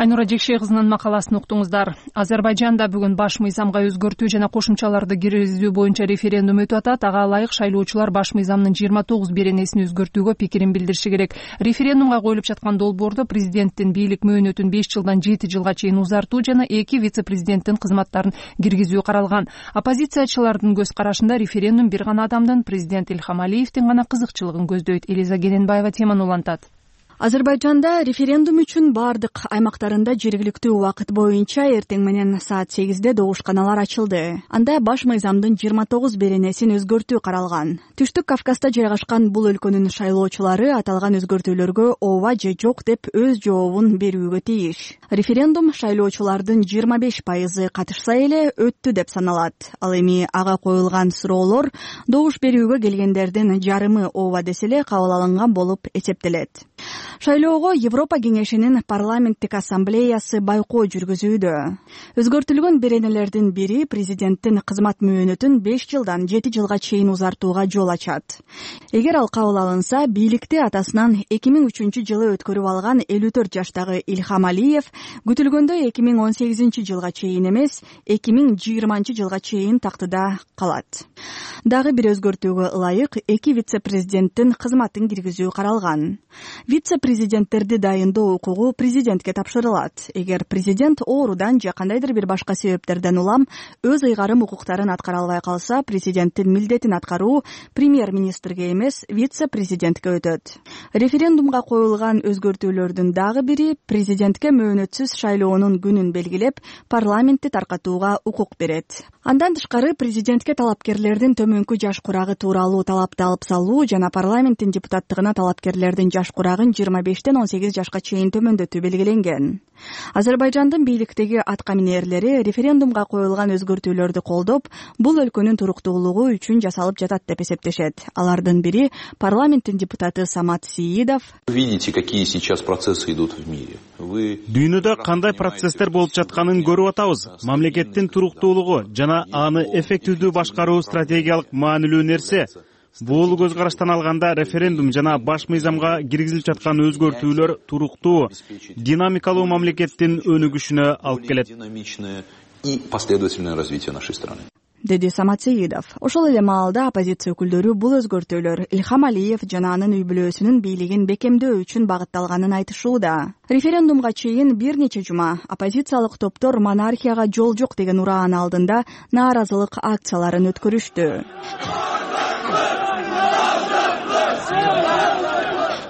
Айнура Жекшей кызынын макаласын уктуңуздар. Азербайжанда бүгүн баш мыйзамга өзгөртүү жана кошумчаларды киргизүү боюнча референдум өтүп атат. Ага ылайык шайлоочулар баш мыйзамдын жыйырма тогуз беренесин өзгөртүүгө пикирин билдириши керек. Референдумга коюлуп жаткан долбоордо президенттин бийлик мөөнөтүн беш жылдан жети жылга чейин узартуу жана эки вице-президенттин кызматтарын киргизүү каралган. Оппозициячылардын көз карашында референдум бир гана адамдын, президент Илхам Алиевдин гана кызыкчылыгын көздөйт. Элиза Гененбаева теманы улантат. Азербайжанда референдум үчүн бардык аймактарында жергиликтүү убакыт боюнча эртең менен саат сегизде добушканалар ачылды. Анда баш мыйзамдын жыйырма тогуз беренесин өзгөртүү каралган. Түштүк Кавказда жайгашкан бул өлкөнүн шайлоочулары аталган өзгөртүүлөргө ооба же жок деп өз жообун берүүгө тийиш. Референдум шайлоочулардын жыйырма беш пайызы катышса эле өттү деп саналат. Ал эми ага коюлган суроолор добуш берүүгө келгендердин жарымы ооба десе эле кабыл алынган болуп эсептелет. Шайлоого Европа кеңешинин парламенттик ассамблеясы байкоо жүргүзүүдө. Өзгөртүлгөн беренелердин бири президенттин кызмат мөөнөтүн беш жылдан жети жылга чейин узартууга жол ачат. Эгер ал кабыл алынса, бийликти атасынан эки миң үчүнчү жылы өткөрүп алган элүү төрт жаштагы Ильхам Алиев күтүлгөндөй эки миң он сегизинчи жылга чейин эмес, эки миң жыйырманчы жылга чейин тактыда калат. Дагы бир өзгөртүүгө ылайык эки вице-президенттин кызматын киргизүү каралган. Вице-президенттерди дайындоо укугу президентке тапшырылат. Эгер президент оорудан же кандайдыр бир башка себептерден улам өз ыйгарым укуктарын аткара албай калса, президенттин милдетин аткаруу премьер-министрге эмес, вице-президентке өтөт. Референдумга коюлган өзгөртүүлөрдүн дагы бири президентке мөөнөтсүз шайлоонун күнүн белгилеп, парламентти таркатууга укук берет. Андан тышкары президентке талапкерлердин төмөнкү жаш курагы тууралуу талапты алып салуу жана парламенттин депутаттыгына талапкерлердин жаш курагын жыйырма бештен он сегиз жашка чейин төмөндөтүү белгиленген. Азербайжандын бийликтеги атка минээрлери референдумга коюлган өзгөртүүлөрдү колдоп, бул өлкөнүн туруктуулугу үчүн жасалып жатат деп эсептешет. Алардын бири парламенттин депутаты Самат Сиидов. Видите, какие сейчас процессы идут в мире. Дүйнөдө кандай процесстер болуп жатканын көрүп атабыз. Мамлекеттин туруктуулугу жана аны эффективдүү башкаруу стратегиялык маанилүү нерсе. Бул көз караштан алганда референдум жана баш мыйзамга киргизилип жаткан өзгөртүүлөр туруктуу, динамикалуу мамлекеттин өнүгүшүнө алып келет. И последовательное развитие нашей страны. Деди Самат Сеидов. Ошол эле маалда оппозиция өкүлдөрү бул өзгөртүүлөр Ильхам Алиев жана анын үй бүлөсүнүн бийлигин бекемдөө үчүн багытталганын айтышууда. Референдумга чейин бир нече жума оппозициялык топтор монархияга жол жок деген ураан алдында нааразылык акцияларын өткөрүштү.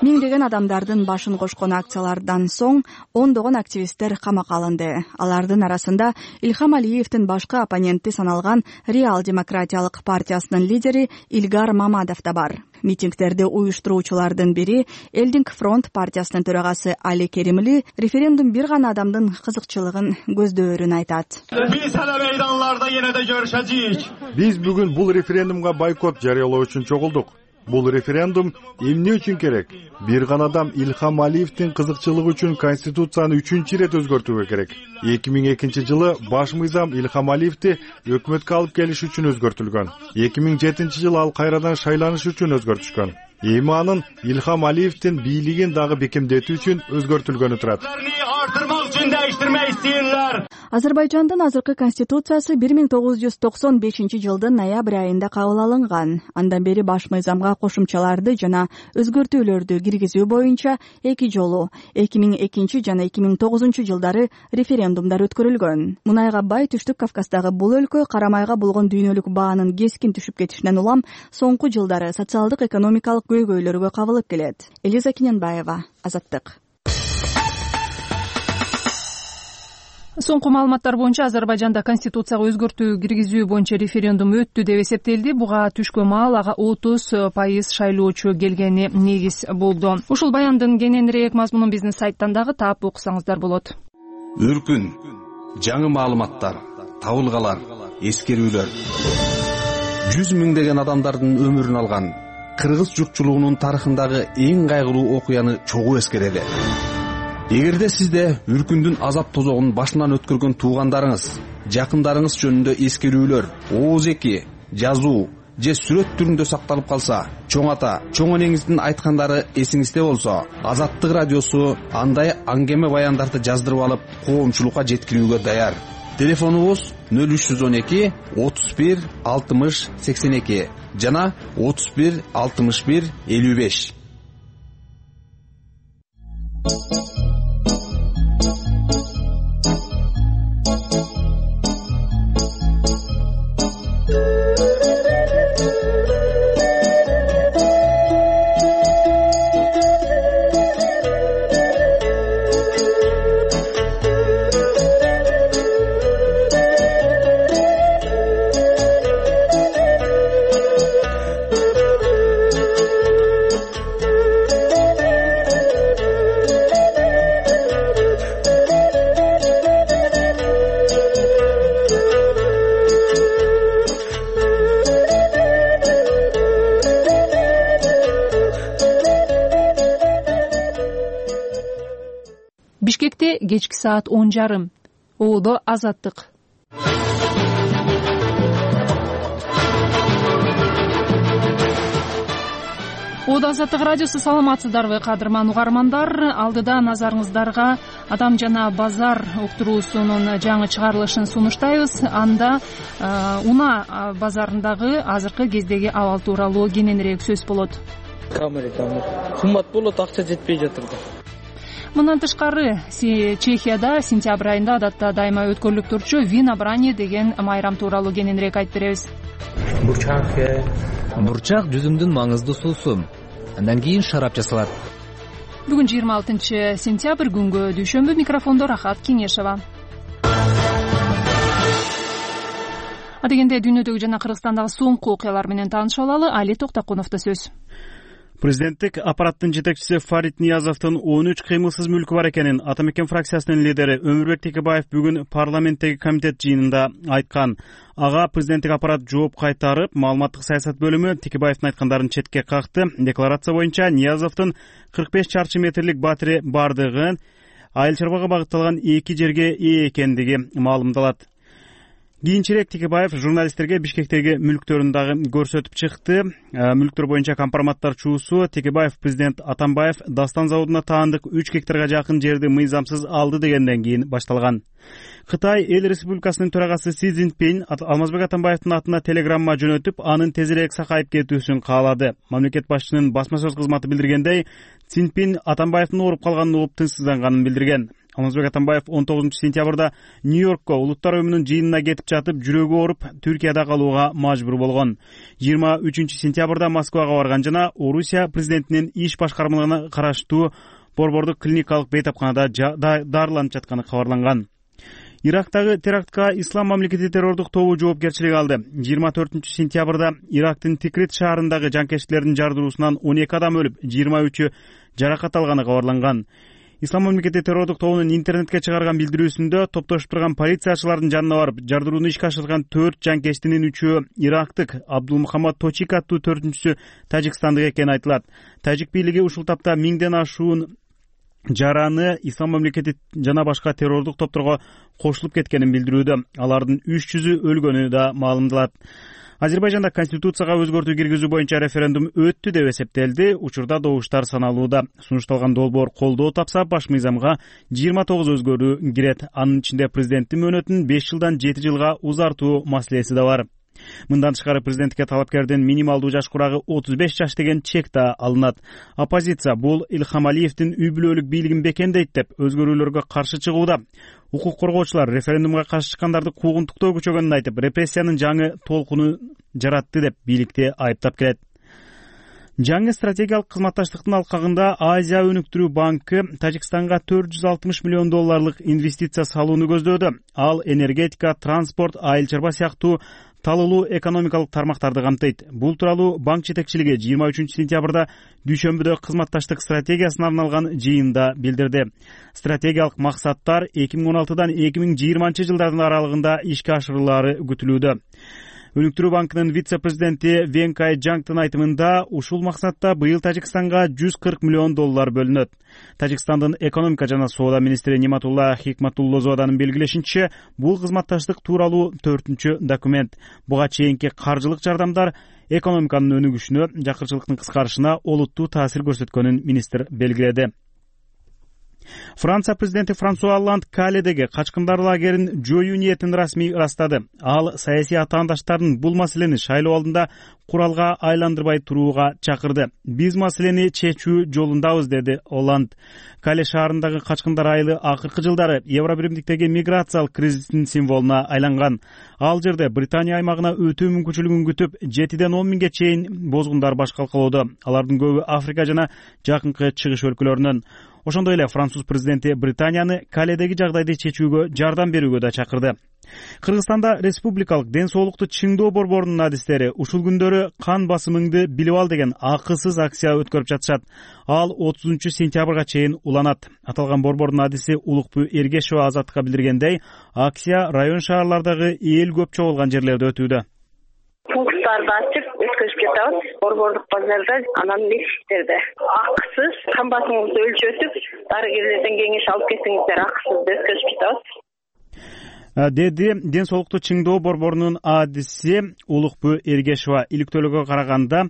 Миңдеген адамдардын башын кошкон акциялардан соң ондогон активисттер камакка алынды. Алардын арасында Ильхам Алиевдин башкы оппоненти саналган Реал демократиялык партиясынын лидери Илгар Мамадов да бар. Митингдерди уюштуруучулардын бири Элдинг фронт партиясынын төрагасы Али Керимли референдум бир гана адамдын кызыкчылыгын көздөөрүн айтат. Биз эле мейданларда эне да көрүшөжүк. Биз бүгүн бул референдумга бойкот жарыялоо үчүн чогулдук. Бул референдум эмне үчүн керек? Бир гана адам Ильхам Алиевдин кызыкчылыгы үчүн конституцияны үчүнчү ирет өзгөртүүгө керек. эки миң экинчи жылы баш мыйзам Ильхам Алиевди өкмөткө алып келиш үчүн өзгөртүлгөн. эки миң жетинчи жылы ал кайрадан шайланыш үчүн өзгөртүшкөн. Эми анын Ильхам Алиевдин бийлигин дагы бекемдетүү үчүн өзгөртүлгөнү турат. Азербайжандын азыркы конституциясы бир миң тогуз жүз токсон бешинчи жылдын ноябрь айында кабыл алынган. Андан бери баш мыйзамга кошумчаларды жана өзгөртүүлөрдү киргизүү боюнча эки жолу эки миң экинчи жана эки миң тогузунчу жылдары референдумдар өткөрүлгөн. Мунайга бай Түштүк Кавказдагы бул өлкө карамайга болгон дүйнөлүк баанын кескин түшүп кетишинен улам соңку жылдары социалдык экономикалык көйгөйлөргө кабылып келет. Элиза Киненбаева, Азаттык. Соңку маалыматтар боюнча Азербайжанда конституцияга өзгөртүү киргизүү боюнча референдум өттү деп эсептелди. Буга түшкөн маал ага отуз пайыз шайлоочу келгени негиз болду. Ушул баяндын кененирээк мазмунун биздин сайттан дагы таап окусаңыздар болот. Үркүн, жаңы маалыматтар, табылгалар, эскерүүлөр. Жүз миңдеген адамдардын өмүрүн алган кыргыз журтчулугунун тарыхындагы эң кайгылуу окуяны чогуу эскерели. Эгерде сизде үркүндүн азап тозогун башынан өткөргөн туугандарыңыз, жакындарыңыз жөнүндө эскерүүлөр, оозеки, жазуу же сүрөт түрүндө сакталып калса, чоң ата, чоң энеңиздин айткандары эсиңизде болсо, Азаттык радиосу андай аңгеме баяндарды жаздырып алып, коомчулукка жеткирүүгө даяр. Телефонубуз нөл үч жүз он эки отуз бир алтымыш сексен эки жана отуз бир алтымыш бир элүү беш. Бишкекте кечки саат он жарым. Оодо Азаттык. Оодо Азаттык радиосу, саламатсыздарбы кадырман угармандар? Алдыда назарыңыздарга Адам жана базар уктуруусунун жаңы чыгарылышын сунуштайбыз. Анда унаа базарындагы азыркы кездеги абал тууралуу кененирээк сөз болот. Камера кымбат болот, акча жетпей жатыр да. Мындан тышкары Чехияда сентябрь айында адатта дайыма өткөрүлүп турчу Вина Брани деген майрам тууралуу кененирээк айтып беребиз. Бурчак Бурчак жүзүмдүн маңыздуу суусу. Андан кийин шарап жасалат. Бүгүн жыйырма алтынчы сентябрь, күнгө дүйшөмбү. Микрофондо Рахат Кеңешова. Адегенде дүйнөдөгү жана Кыргызстандагы соңку окуялар менен таанышып алалы. Али Токтокуновдо сөз. Президенттик аппараттын жетекчиси Фарид Ниязовдун он үч кыймылсыз мүлкү бар экенин Ата Мекен фракциясынын лидери Өмүрбек Текебаев бүгүн парламенттеги комитет жыйынында айткан. Ага президенттик аппарат жооп кайтарып, маалыматтык саясат бөлүмү Текебаевдин айткандарын четке какты. Декларация боюнча Ниязовдун кырк беш чарчы метрлик батири бардыгы айыл чарбага багытталган эки жерге ээ экендиги маалымдалат. Кийинчерээк Текебаев журналисттерге Бишкектеги мүлктөрүн дагы көрсөтүп чыкты. Мүлктөр боюнча компроматтар чуусу Текебаев президент Атамбаев Дастан заводуна таандык үч гектарга жакын жерди мыйзамсыз алды дегенден кийин башталган. Кытай Эл Республикасынын төрагасы Си Цзиньпин Алмазбек Атамбаевдин атына телеграмма жөнөтүп, анын тезирээк сакайып кетүүсүн каалады. Мамлекет башчынын басма сөз кызматы билдиргендей, Цзиньпин Атамбаевдин ооруп калганын угуп тынчсызданганын билдирген. Алмазбек Атамбаев он тогузунчу сентябрда Нью-Йоркко улуттар уюмунун жыйынына кетип жатып, жүрөгү ооруп, Түркияда калууга мажбур болгон. жыйырма үчүнчү сентябрда Москвага барган жана Орусия президентинин иш башкармалыгына караштуу борбордук клиникалык бейтапканада дарыланып жатканы кабарланган. Ирактагы терактка Ислам мамлекети террордук тобу жоопкерчилик алды. жыйырма төртүнчү сентябрда Ирактын Тикрит шаарындагы жанкечтилердин жардыруусунан он эки адам өлүп, жыйырма үчү жаракат алганы кабарланган. Ислам мамлекети террордук тобунун интернетке чыгарган билдирүүсүндө топтошуп турган полициячылардын жанына барып, жардырууну ишке ашырган төрт жанкечтинин үчөө ирактык, Абдулмухаммад Точик аттуу төртүнчүсү тажикстандык экени айтылат. Тажик бийлиги ушул тапта миңден ашуун жараны Ислам мамлекети жана башка террордук топторго кошулуп кеткенин билдирүүдө. Алардын үч жүзү өлгөнү да маалымдалат. Азербайжанда конституцияга өзгөртүү киргизүү боюнча референдум өттү деп эсептелди. Учурда добуштар саналууда. Сунушталган долбоор колдоо тапса, баш мыйзамга жыйырма тогуз өзгөрүү кирет. Анын ичинде президенттин мөөнөтүн беш жылдан жети жылга узартуу маселеси да бар. Мындан тышкары президентке талапкердин минималдуу жаш курагы отуз беш жаш деген чек да алынат. Оппозиция бул Илхам Алиевдин үй бүлөлүк бийлигин бекемдейт деп өзгөрүүлөргө каршы чыгууда. Укук коргоочулар референдумга каршы чыккандарды куугунтуктоо күчөгөнүн айтып, репрессиянын жаңы толкуну жаратты деп бийликти айыптап келет. Жаңы стратегиялык кызматташтыктын алкагында Азия өнүктүрүү банкы Тажикстанга төрт жүз алтымыш миллион долларлык инвестиция салууну көздөөдө. Ал энергетика, транспорт, айыл чарба сыяктуу талуулуу экономикалык тармактарды камтыйт. Бул тууралуу банк жетекчилиги жыйырма үчүнчү сентябрда дүйшөмбүдө кызматташтык стратегиясына арналган жыйында билдирди. Стратегиялык максаттар эки миң он алтыдан эки миң жыйырманчы жылдардын аралыгында ишке ашырылаары күтүлүүдө. Өнүктүрүү банкынын вице-президенти Венкай Джангтын айтымында ушул максатта быйыл Тажикстанга жүз кырк миллион доллар бөлүнөт. Тажикстандын экономика жана соода министри Ниматулла Хикматуллозоданын белгилешинче, бул кызматташтык тууралуу төртүнчү документ. Буга чейинки каржылык жардамдар экономиканын өнүгүшүнө, жакырчылыктын кыскарышына олуттуу таасир көрсөткөнүн министр белгиледи. Франция президенти Франсуа Олланд Каледеги качкындар лагерин жоюу ниетин расмий ырастады. Ал саясий атаандаштарын бул маселени шайлоо алдында куралга айландырбай турууга чакырды. Биз маселени чечүү жолундабыз, деди Олланд. Кале шаарындагы качкындар айылы акыркы жылдары Евробиримдиктеги миграциялык кризистин символуна айланган. Ал жерде Британия аймагына өтүү мүмкүнчүлүгүн күтүп, жетиден он миңге чейин бозгундар баш калкалоодо. Алардын көбү Африка жана жакынкы чыгыш өлкөлөрүнөн. Ошондой эле француз президенти Британияны Каледеги жагдайды чечүүгө жардам берүүгө да чакырды. Кыргызстанда республикалык ден соолукту чыңдоо борборунун адистери ушул күндөрү кан басымыңды билип ал деген акысыз акция өткөрүп жатышат. Ал отузунчу сентябрга чейин уланат. Аталган борбордун адиси Улукбүй Эргешова Азаттыкка билдиргендей, акция район шаарлардагы эл көп чогулган жерлерде өтүүдө. Пункттарды ачып, өткөзүп жатабыз. Борбордук базарда, анан мектептерде акысыз камбатыңызды өлчөтүп, дарыгерлерден кеңеш алып кетсеңиздер, акысыз өткөзүп жатабыз деди Ден соолукту чыңдоо борборунун адиси Улукбү Эргешова. Иликтөөлөргө караганда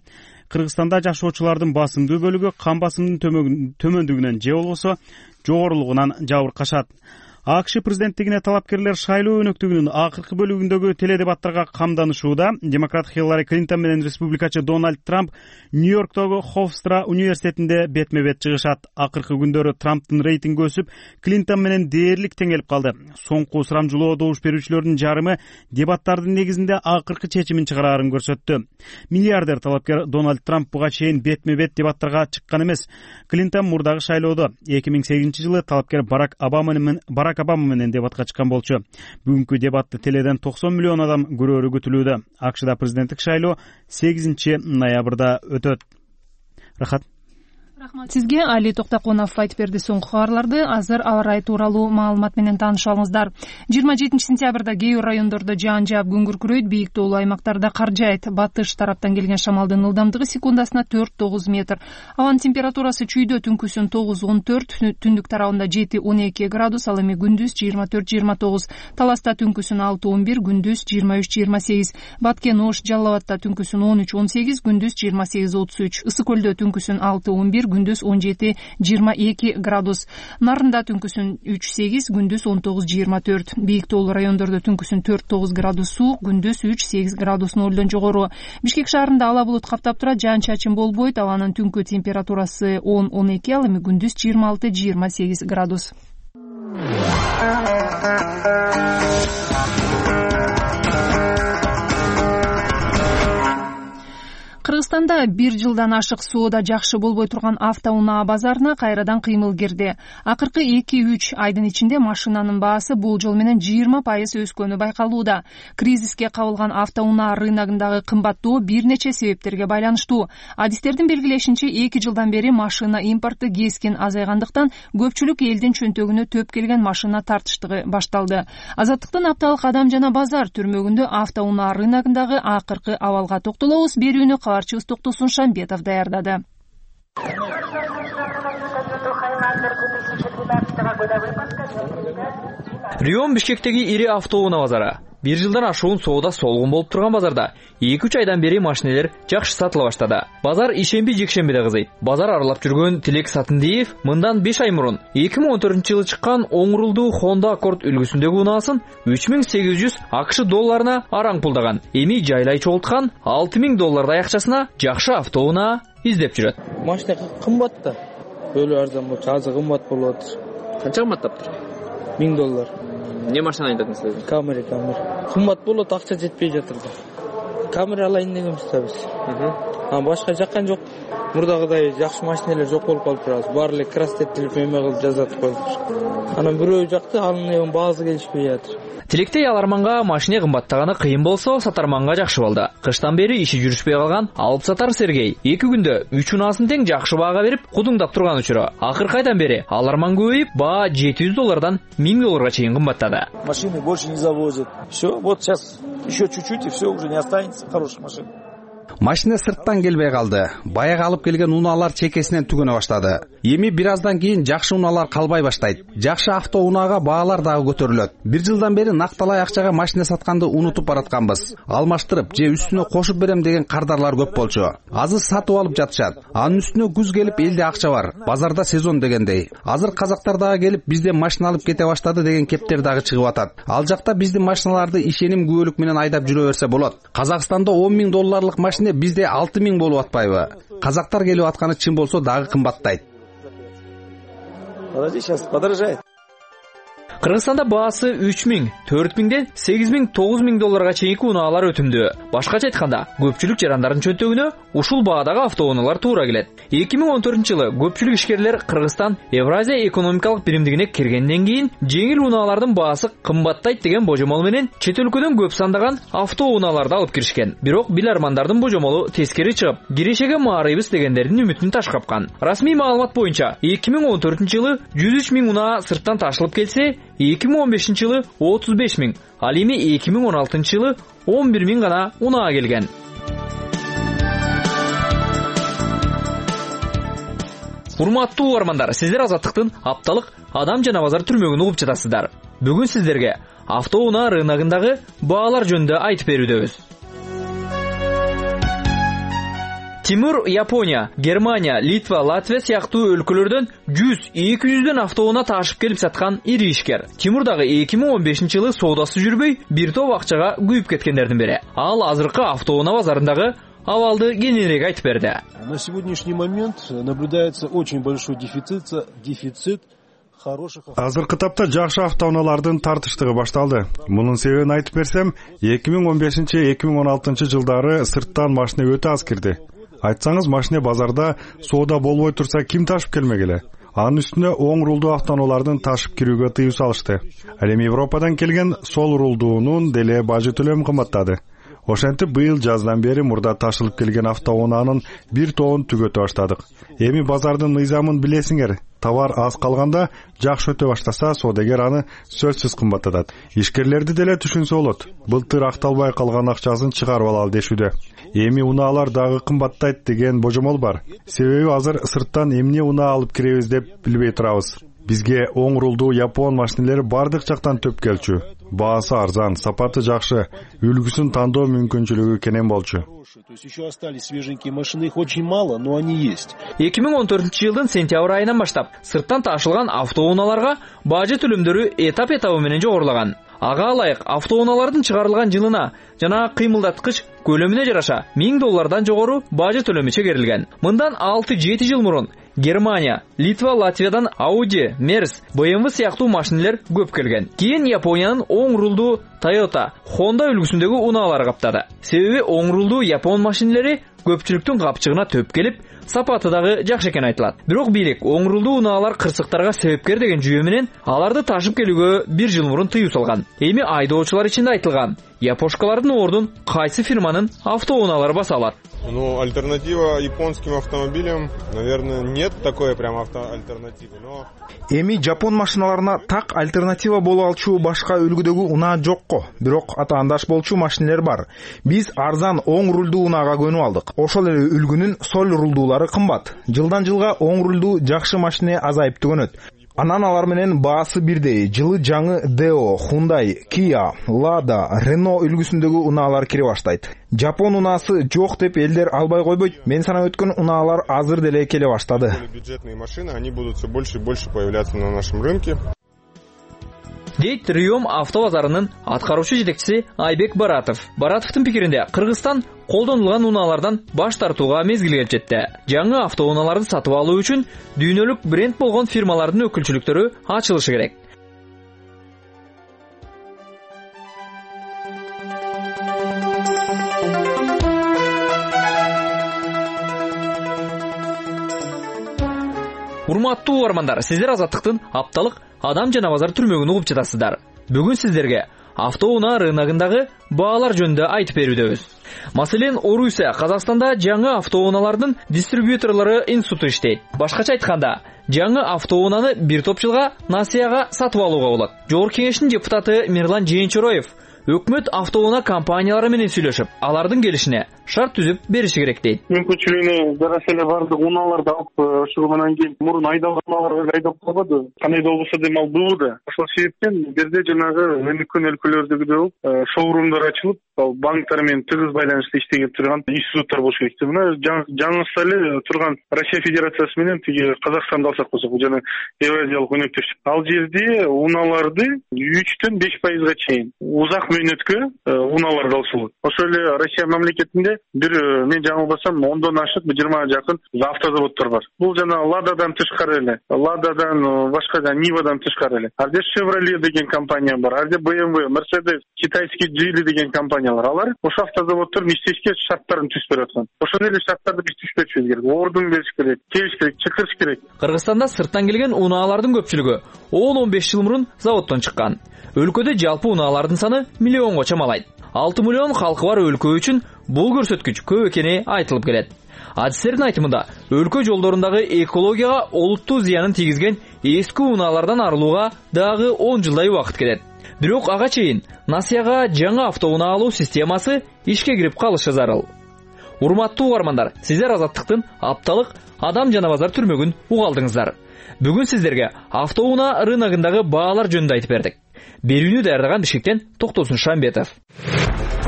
Кыргызстанда жашоочулардын басымдуу бөлүгү кан басымынын төмөндүгүнөн же болбосо жогорулугунан жабыркашат. АКШ президенттигине талапкерлер шайлоо өнөктүгүнүн акыркы бөлүгүндөгү теледебаттарга камданышууда. Демократ Хиллари Клинтон менен республикачы Дональд Трамп Нью-Йорктогу Хофстра университетинде бетме-бет чыгышат. Акыркы күндөрү Трамптын рейтинги өсүп, Клинтон менен дээрлик теңелип калды. Соңку сурамжылоо добуш берүүчүлөрдүн жарымы дебаттардын негизинде акыркы чечимин чыгарарын көрсөттү. Миллиардер талапкер Дональд Трамп буга чейин бетме-бет дебаттарга чыккан эмес. Клинтон мурдагы шайлоодо эки миң сегизинчи жылы талапкер Барак Обама менен Барак Обама менен дебатка чыккан болчу. Бүгүнкү дебатты теледен токсон миллион адам көрөрү күтүлүүдө. АКШда президенттик шайлоо сегизинчи ноябрда өтөт. Рахат. Рахмат сизге. Али Токтоконов айтып берди соңку кабарларды. Азыр аба ырайы тууралуу маалымат менен таанышып алыңыздар. жыйырма жетинчи сентябрда кээ бир райондордо жаан жаап күн күркүрөйт, бийик тоолуу аймактарда кар жаайт. Батыш тараптан келген шамалдын ылдамдыгы секундасына төрт тогуз метр. Абанын температурасы чүйдө түнкүсүн тогуз он төрт, түндүк тарабында жети он эки градус, ал эми күндүз жыйырма төрт жыйырма тогуз. Таласта түнкүсүн алты он бир, күндүз жыйырма үч жыйырма сегиз. Баткен Ош, Жалал Абадта түнкүсүн он үч он сегиз, күндүз жыйырма сегиз отуз үч. Ысык көлдө түнкүсүн алты он бир, күндүз он жети жыйырма эки градус. Нарында түнкүсүн үч сегиз, күндүз он тогуз жыйырма төрт. Бийик тоолуу райондордо түнкүсүн төрт тогуз градус суук, күндүз үч сегиз градус нолдон жогору. Бишкек шаарында ала булут каптап турат, жаан чачын болбойт. Абанын түнкү температурасы он он эки, ал эми күндүз жыйырма алты жыйырма сегиз градус. Кыргызстанда бир жылдан ашык соода жакшы болбой турган автоунаа базарына кайрадан кыймыл кирди. Акыркы эки үч айдын ичинде машинанын баасы болжол менен жыйырма пайыз өскөнү байкалууда. Кризиске кабылган автоунаа рыногундагы кымбаттоо бир нече себептерге байланыштуу. Адистердин белгилешинче, эки жылдан бери машина импорту кескин азайгандыктан көпчүлүк элдин чөнтөгүнө төп келген машина тартыштыгы башталды. Азаттыктын апталык адам жана базар түрмөгүндө автоунаа рыногундагы акыркы абалга токтолобуз. Берүүнү кабарчыбыз Токтосун Шамбетов даярдады. Рион Бишкектеги ири автоунаа базары. Бир жылдан ашуун соода солгун болуп турган базарда эки үч айдан бери машинелер жакшы сатыла баштады. Базар ишемби жекшембиде кызыйт. Базар аралап жүргөн Тилек Сатындиев мындан беш ай мурун эки миң он төртүнчү жылы чыккан оң рулдуу Honda Accord үлгүсүндөгү унаасын үч миң сегиз жүз АКШ долларына араң пулдаган. Эми жайлай чогулткан алты миң доллардай акчасына жакшы автоунаа издеп жүрөт. Машина кымбат да. Өлү арзан болчу, азыр кымбат болуп атыр. Канча кымбаттаптыр? миң доллар. Не машина айдадыңыз өзү? Камера, камера. Кымбат болот, акча жетпей жатыр да. Камера алайын дегенбиз да биз. А башка жаккан жок. Мурдагыдай жакшы машиналар жок болуп калыптыр азыр. Баары эле крастеттелип эме кылып жазатып коюптур. Анан бирөө жакты анын баасы келишпей жатыр. Тилектей аларманга машина кымбаттаганы кыйын болсо, сатарманга жакшы болду. Кыштан бери иши жүрүшпөй калган алып сатар Сергей эки күндө үч унаасын тең жакшы баага берип, кудуңдап турган учуру. Акыркы айдан бери аларман көбөйүп, баа жети жүз доллардан миң долларга чейин кымбаттады. Машины больше не завозят. Все, вот сейчас еще чуть-чуть и все, уже не останется хороших машин. Машина сырттан келбей калды. Баягы алып келген унаалар чекесинен түгөнө баштады. Эми бир аздан кийин жакшы унаалар калбай баштайт. Жакшы автоунаага баалар дагы көтөрүлөт. Бир жылдан бери накталай акчага машина сатканды унутуп баратканбыз. Алмаштырып же үстүнө кошуп берем деген кардарлар көп болчу. Азыр сатып алып жатышат. Анын үстүнө күз келип элде акча бар. Базарда сезон дегендей. Азыр казактар дагы келип бизден машина алып кете баштады деген кептер дагы чыгып атат. Ал жакта биздин машиналарды ишеним күбөлүк менен айдап жүрө берсе болот. Казакстанда он миң долларлык машина бизде алты миң болуп атпайбы? Казактар келип атканы чын болсо дагы кымбаттайт. Подожди, сейчас подорожает. Кыргызстанда баасы үч миң, төрт миңден сегиз миң, тогуз миң долларга чейинки унаалар өтүмдүү. Башкача айтканда, көпчүлүк жарандардын чөнтөгүнө ушул баадагы автоунаалар туура келет. эки миң он төртүнчү жылы көпчүлүк ишкерлер Кыргызстан Евразия экономикалык биримдигине киргенден кийин жеңил унаалардын баасы кымбаттайт деген божомол менен чет өлкөдөн көп сандаган автоунааларды алып киришкен. Бирок билармандардын божомолу тескери чыгып, кирешеге маарыйбыз дегендердин үмүтүн ташкапкан. Расмий маалымат боюнча эки миң он төртүнчү жылы жүз үч миң унаа сырттан ташылып келсе, эки миң он бешинчи жылы отуз беш миң, ал эми эки миң он алтынчы жылы он бир миң гана унаа келген. Урматтуу угармандар, сиздер Азаттыктын апталык адам жана базар түрмөгүн угуп жатасыздар. Бүгүн сиздерге автоунаа рыногундагы баалар жөнүндө айтып берүүдөбүз. Тимур Япония, Германия, Литва, Латвия сыяктуу өлкөлөрдөн жүз эки жүздөн автоунаа ташып келип саткан ири ишкер. Тимур дагы эки миң он бешинчи жылы соодасы жүрбөй, бир топ акчага күйүп кеткендердин бири. Ал азыркы автоунаа базарындагы абалды кененирээк айтып берди. На сегодняшний момент наблюдается очень большой дефицит, дефицит хороших. Азыркы тапта жакшы автоунаалардын тартыштыгы башталды. Мунун себебин айтып берсем, эки миң он бешинчи — эки миң он алтынчы жылдары сырттан машина өтө аз кирди. Айтсаңыз, машина базарда соода болбой турса, ким ташып келмек эле? Анын үстүнө оң рулдуу автоунаалардын ташып кирүүгө тыюу салышты. Ал эми Европадан келген сол рулдуунун деле бажы төлөмү кымбаттады. Ошентип быйыл жаздан бери мурда ташылып келген автоунаанын бир тобун түгөтө баштадык. Эми базардын мыйзамын билесиңер. Товар аз калганда жакшы өтө баштаса, соодагер аны сөзсүз кымбаттатат. Ишкерлерди деле түшүнсө болот. Былтыр акталбай калган акчасын чыгарып алалы дешүүдө. Эми унаалар дагы кымбаттайт деген божомол бар. Себеби азыр сырттан эмне унаа алып киребиз деп билбей турабыз. Бизге оң рулдуу япон машинелери бардык жактан төп келчү. Баасы арзан, сапаты жакшы, үлгүсүн тандоо мүмкүнчүлүгү кенен болчу. То есть еще остались свеженькие машины, их очень мало, но они есть. эки миң он төртүнчү жылдын сентябрь айынан баштап сырттан ташылган автоунааларга бажы төлөмдөрү этап этабы менен жогорулган. Ага ылайык автоунаалардын чыгарылган жылына жана кыймылдаткыч көлөмүнө жараша миң доллардан жогору бажы төлөмү чегерилген. Мындан алты жети жыл мурун Германия, Литва, Латвиядан Audi, Mercedes, бэ эм вэ сыяктуу машинелер көп келген. Кийин Япониянын оң рулдуу Toyota, Honda үлгүсүндөгү унаалар каптады. Себеби оң рулдуу япон машинелери көпчүлүктүн капчыгына төп келип, сапаты дагы жакшы экен айтылат. Бирок бийлик оң рулдуу унаалар кырсыктарга себепкер деген жүйө менен аларды ташып келүүгө бир жыл мурун тыюу салган. Эми айдоочулар ичинде айтылган япошкалардын ордун кайсы фирманын автоунаалары баса алат? Ну, альтернатива японским автомобилям, наверное, нет такой прям автоальтернативы, но... Эми жапон машиналарына так альтернатива боло алчу башка үлгүдөгү унаа жокко. Бирок атаандаш болчу машинелер бар. Биз арзан оң рулдуу унаага көнүп алдык. Ошол эле үлгүнүн соль рулдуулары кымбат. Жылдан жылга оң рулдуу жакшы машина азайып түгөнөт. Анан алар менен баасы бирдей. Жылы жаңы Deo, Hyundai, Kia, Lada, Renault үлгүсүндөгү унаалар кире баштайт. Жапон унаасы жок деп элдер албай койбойт. Мен санап өткөн унаалар азыр деле келе баштады. Бюджетные машины, они будут все больше и больше появляться на нашем рынке. Дейт Риом автобазарынын аткаруучу жетекчиси Айбек Баратов. Баратовдун пикиринде Кыргызстан колдонулган унаалардан баш тартууга мезгил келип жетти. Жаңы автоунааларды сатып алуу үчүн дүйнөлүк бренд болгон фирмалардын өкүлчүлүктөрү ачылышы керек. Урматтуу угармандар, сиздер Азаттыктын апталык адам жана базар түрмөгүн угуп жатасыздар. Бүгүн сиздерге автоунаа рыногундагы баалар жөнүндө айтып берүүдөбүз. Маселен, Орусия Казакстанда жаңы автоунаалардын дистрибьюторлору институту иштейт. Башкача айтканда, жаңы автоунааны бир топ жылга насыяга сатып алууга болот. Жогорку кеңештин депутаты Мирлан Жээнчороев өкмөт автоунаа компаниялары менен сүйлөшүп, алардын келишине шарт түзүп бериши керек дейт. Мүмкүнчүлүгүнө жараша эле бардык унааларды алып чыгымынан кийин мурун айдалган унаалар айдап калбады. Кандай да болбосо дем албыбы да. Ошол себептен бул жерде жанагы өнүккөн өлкөлөрдөгүдөй шоурумдар ачылып, банктар менен тыгыз байланышта иштеген турган институттар болуш керек. Мына жаңысы эле турган Россия Федерациясы менен тиги Казакстанды алсак болсок, бул жана Евразиялык өнөктөштүк. Ал жерде унааларды үчтөн беш пайызга чейин узак мөөнөткө унааларды алса болот. Ошол эле Россия мамлекетинде бир мен жаңылбасам ондон ашык жыйырмага жакын автозаводдор бар. Бул жана Лададан тышкары эле, Лададан башка да Нивадан тышкары эле. Ар жерде Chevrolet деген компания бар, ар жерде бэ эм вэ, Mercedes, китайский Geely деген компаниялар. Алар ошо автозаводдордун иштешке шарттарын түзүп берип аткан. Ошол эле шарттарды биз түзүп керек. Ордун бериш керек, келиш керек, чакырыш керек. Кыргызстанда сырттан келген унаалардын көпчүлүгү он он беш жыл мурун заводдон чыккан. Өлкөдө жалпы унаалардын саны миллионго чамалайт. алты миллион халкы бар өлкө үчүн бул көрсөткүч көп экени айтылып келет. Адистердин айтымында, өлкө жолдорундагы экологияга олуттуу зыянын тийгизген эски унаалардан арылууга дагы он жылдай убакыт кетет. Бирок ага чейин насыяга жаңы автоунаа алуу системасы ишке кирип калышы зарыл. урматтуу угармандар, сиздер Азаттыктын апталык адам жана базар түрмөгүн угалдыңыздар. Бүгүн сиздерге автоунаа рыногундагы баалар жөнүндө айтып бердик. Берүүнү даярдаган Бишкектен Токтосун Шамбетов.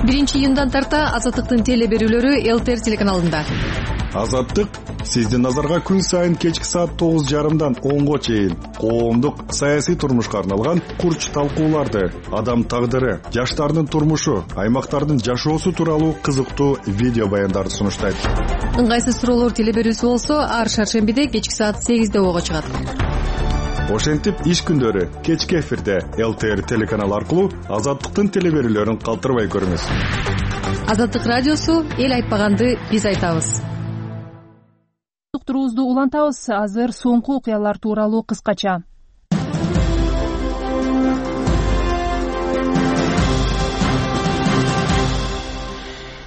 биринчи июндан тарта Азаттыктын теле берүүлөрү ЛТР телеканалында. Азаттык сиздин назарга күн сайын кечки саат тогуз жарымдан онго чейин коомдук саясий турмушка арналган курч талкууларды, адам тагдыры, жаштардын турмушу, аймактардын жашоосу тууралуу кызыктуу видео баяндарды сунуштайт. Ыңгайсыз суроолор теле берүүсү болсо, ар шаршембиде кечки саат сегизде ого чыгат. Ошентип иш күндөрү кечки эфирде ЛТР телеканалы аркылуу Азаттыктын теле берүүлөрүн калтырбай көрүңүз. Азаттык радиосу эл айтпаганды биз айтабыз. Уктуруубузду улантабыз. Азыр соңку окуялар тууралуу кыскача.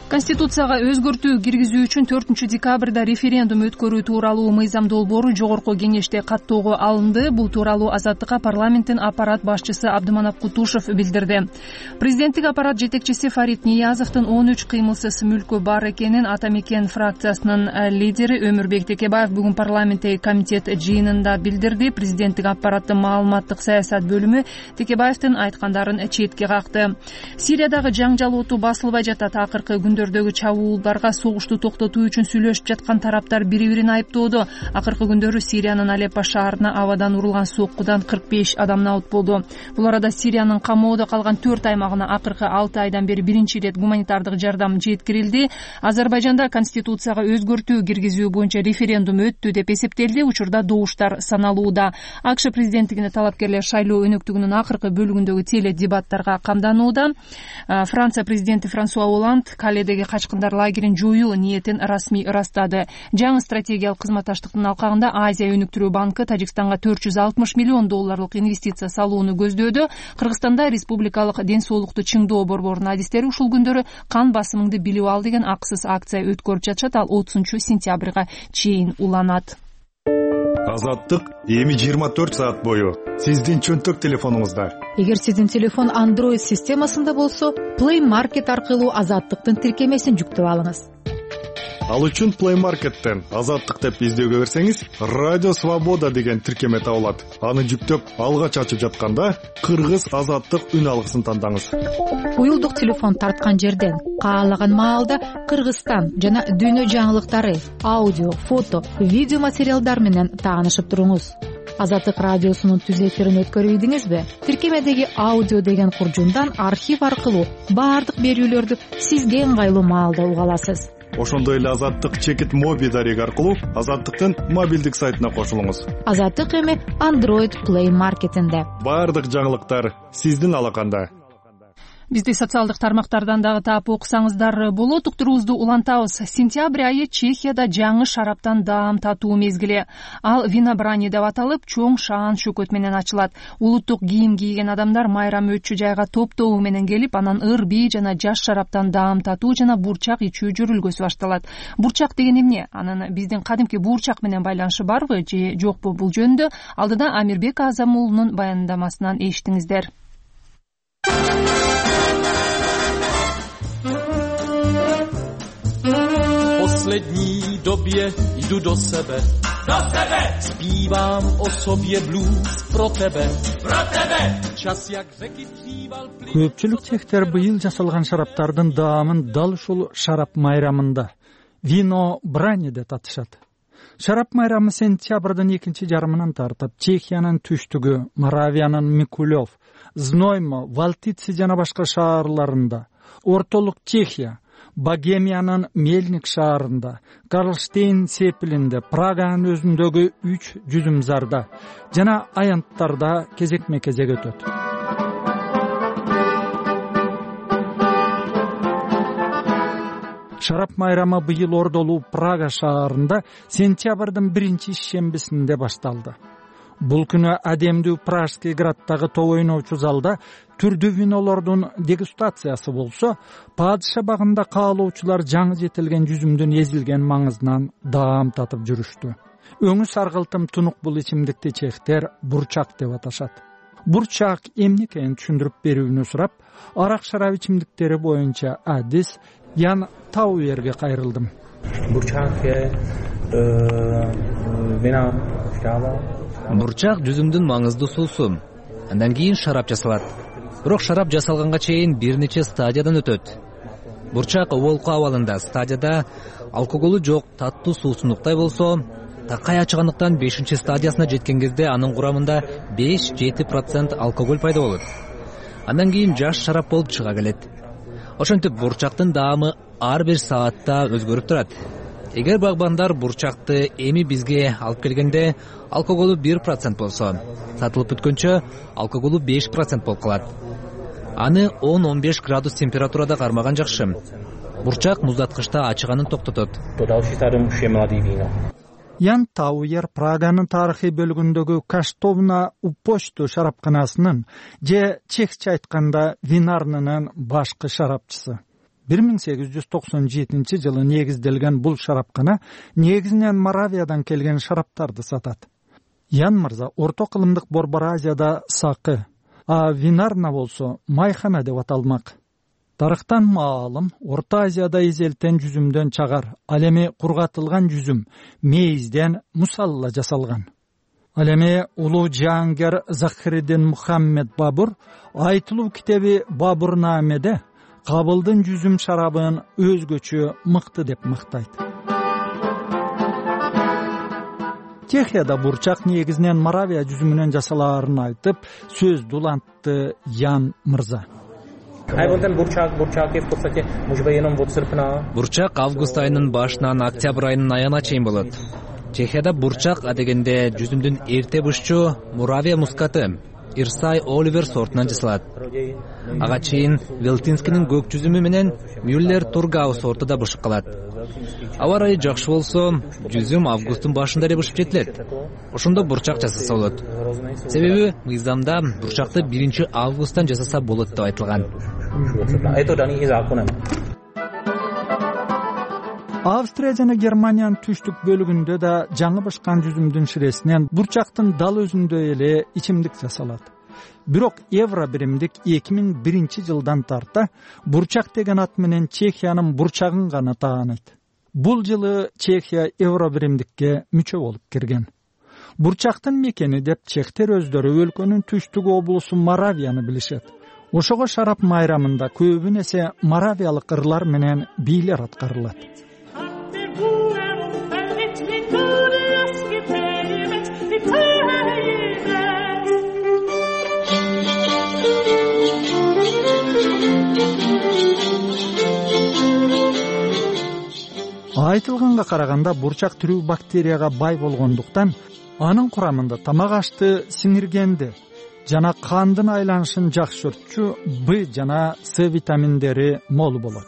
Конституцияга өзгөртүү киргизүү үчүн төртүнчү декабрда референдум өткөрүү тууралуу мыйзам долбоору жогорку кеңеште каттоого алынды. Бул тууралуу Азаттыкка парламенттин аппарат башчысы Абдыманап Кутушев билдирди. Президенттик аппарат жетекчиси Фарид Ниязовдун он үч кыймылсыз мүлкү бар экенин Ата Мекен фракциясынын лидери Өмүрбек Текебаев бүгүн парламенттеги комитет жыйынында билдирди. Президенттик аппараттын маалыматтык саясат бөлүмү Текебаевдин айткандарын четке какты. Сириядагы жаңжал оту басылбай жатат. Акыркы күндөрдөгү чабуулдарга согушту токтотуу үчүн сүйлөшүп жаткан тараптар бири-бирин айыптоодо. Акыркы күндөрү Сириянын Алеппо шаарына абадан урулган соккудан кырк беш адам набыт болду. Бул арада Сириянын камоодо калган төрт аймагына акыркы алты айдан бери биринчи ирет гуманитардык жардам жеткирилди. Азербайжанда конституцияга өзгөртүү киргизүү боюнча референдум өттү деп эсептелди. Учурда добуштар саналууда. АКШ президенттигине талапкерлер шайлоо өнөктүгүнүн акыркы бөлүгүндөгү теле дебаттарга камданууда. Франция президенти Франсуа Оланд Каледеги качкындар лагерин жоюу ниетин расмий ырастады. Жаңы стратегиялык кызматташтыктын алкагында Азия өнүктүрүү банкы Тажикстанга төрт жүз алтымыш миллион долларлык инвестиция салууну көздөөдө. Кыргызстанда республикалык ден соолукту чыңдоо борборунун адистери ушул күндөрү кан басымыңды билип ал деген акысыз акция өткөрүп жатышат. Ал отузунчу сентябрга чейин уланат. Азаттык эми жыйырма төрт саат бою сиздин чөнтөк телефонуңузда. Эгер сиздин телефон Android системасында болсо, Play Market аркылуу Азаттыктын тиркемесин жүктөп алыңыз. Ал үчүн Play Market'тен Азаттык деп издөөгө берсеңиз, Радио Свобода деген тиркеме табылат. Аны жүктөп, алгач ачып жатканда Кыргыз Азаттык үн алгысын тандаңыз. Уюлдук телефон тарткан жерден каалаган маалда Кыргызстан жана дүйнө жаңылыктары, аудио, фото, видео материалдар менен таанышып туруңуз. Азаттык радиосунун түз эфирин өткөрүп ийдиңизби? Тиркемедеги аудио деген куржундан архив аркылуу баардык берүүлөрдү сизге ыңгайлуу маалда уга аласыз. Ошондой эле Азаттык чекит моби дареги аркылуу Азаттыктын мобилдик сайтына кошулуңуз. Азаттык эми Android Play Market'инде. Баардык жаңылыктар сиздин алаканда. Бизди социалдык тармактардан дагы таап окусаңыздар болот. Уктуруубузду улантабыз. Сентябрь айы Чехияда жаңы шараптан даам татуу мезгили. Ал винобрани деп аталып, чоң шаан шөкөт менен ачылат. Улуттук кийим кийген адамдар майрам өтчү жайга топтоо менен келип, анан ыр бий жана жаш шараптан даам татуу жана бурчак ичүү жүрүлгөсү башталат. Бурчак деген эмне? Анын биздин кадимки буурчак менен байланышы барбы же жокпу? Бул жөнүндө алдыда Амирбек Азам уулунун баяндамасынан эшитиңиздер. V poslední době jdu do sebe, do sebe, zpívám o sobě blues pro tebe, pro tebe, čas jak řeky dříval plyn. Көпчүлүк чехтер быйыл жасалган шараптардын даамын дал ушул шарап майрамында вино брани деп аташат. Шарап майрамы сентябрдын экинчи жарымынан тартып Чехиянын түштүгү, Моравиянын Микулев, Зноймо, Валтицы жана башка шаарларында, ортолук Чехия, Богемиянын Мельник шаарында, Карлштейн сепилинде, Праганын өзүндөгү үч жүзүмзарда жана аянттарда кезекме-кезек өтөт. Шарап майрамы быйыл ордолуу Прага шаарында сентябрдын биринчи шембисинде башталды. Бул күнү адемдүү Пражский граддагы топ ойноочу залда түрдүү винолордун дегустациясы болсо, падыша багында каалоочулар жаңы жетилген жүзүмдүн эзилген маңызынан даам татып жүрүштү. Өңү саргылтым тунук бул ичимдикти чехтер бурчак деп аташат. Бурчак эмне экенин түшүндүрүп берүүнү сурап, арак шарап ичимдиктери боюнча адис Ян Тауерге кайрылдым. Бурчак жүзүмдүн маңыздуу суусу. Андан кийин шарап жасалат. Бирок шарап жасалганга чейин бир нече стадиядан өтөт. Бурчак оболку абалында стадияда алкоголу жок таттуу суусундуктай болсо, такай ачыгандыктан бешинчи стадиясына жеткен кезде анын курамында беш жети процент алкоголь пайда болот. Андан кийин жаш шарап болуп чыга келет. Ошентип бурчактын даамы ар бир саатта өзгөрүп турат. Эгер багбандар бурчакты эми бизге алып келгенде алкоголу бир процент болсо, сатылып бүткөнчө алкоголу беш процент болуп калат. Аны он он беш градус температурада кармаган жакшы. Бурчак муздаткычта ачыганын токтотот. Ян Тауер Праганын тарыхый бөлүгүндөгү Каштовна Упочту шарапканасынын же чехче айтканда винарнынын башкы шарапчысы. бир миң сегиз жүз токсон жетинчи жылы негизделген бул шарапкана негизинен Моравиядан келген шараптарды сатат. Ян мырза орто кылымдык Борбор Азияда сакы, а винарна болсо майхана деп аталмак. Тарыхтан маалым Орто Азияда изелтен жүзүмдөн чагар, ал эми кургатылган жүзүм мейизден мусалла жасалган. Ал эми улуу жаангер Захириддин Мухаммед Бабур айтылуу китеби Бабурнамеде Кабылдын жүзүм шарабын өзгөчө мыкты деп мактайт. Чехияда бурчак негизинен Моравия жүзүмүнөн жасалаарын айтып, сөз дулантты Ян мырза. Бурчак август айынын башынан октябрь айынын аягына чейин болот. Чехияда бурчак адегенде жүзүмдүн эрте бышчу Моравия мускаты Ирсай Оливер сортунан жасалат. Ага чейин Велтинскинин көк жүзүмү менен Мюллер Тургау сорту да бышып калат. Аба ырайы жакшы болсо, жүзүм августтун башында эле бышып жетилет. Ошондо бурчак жасаса болот. Себеби мыйзамда бурчакты биринчи августтан жасаса болот деп айтылган. Австрия жана Германиянын түштүк бөлүгүндө да жаңы бышкан жүзүмдүн ширесинен бурчактын дал өзүндө эле ичимдик жасалат. Бирок евро биримдик эки миң биринчи жылдан тарта бурчак деген ат менен Чехиянын бурчагын гана тааныйт. Бул жылы Чехия евро биримдикке мүчө болуп кирген. Бурчактын мекени деп чехтер өздөрү өлкөнүн түштүк облусу Моравияны билишет. Ошого шарап майрамында көбүн эсе моравиялык ырлар менен бийлер аткарылат. Айтылганга караганда бурчак түрүү бактерияга бай болгондуктан анын курамында тамак ашты сиңиргенди жана кандын айланышын жакшыртчу Б жана С витаминдери мол болот.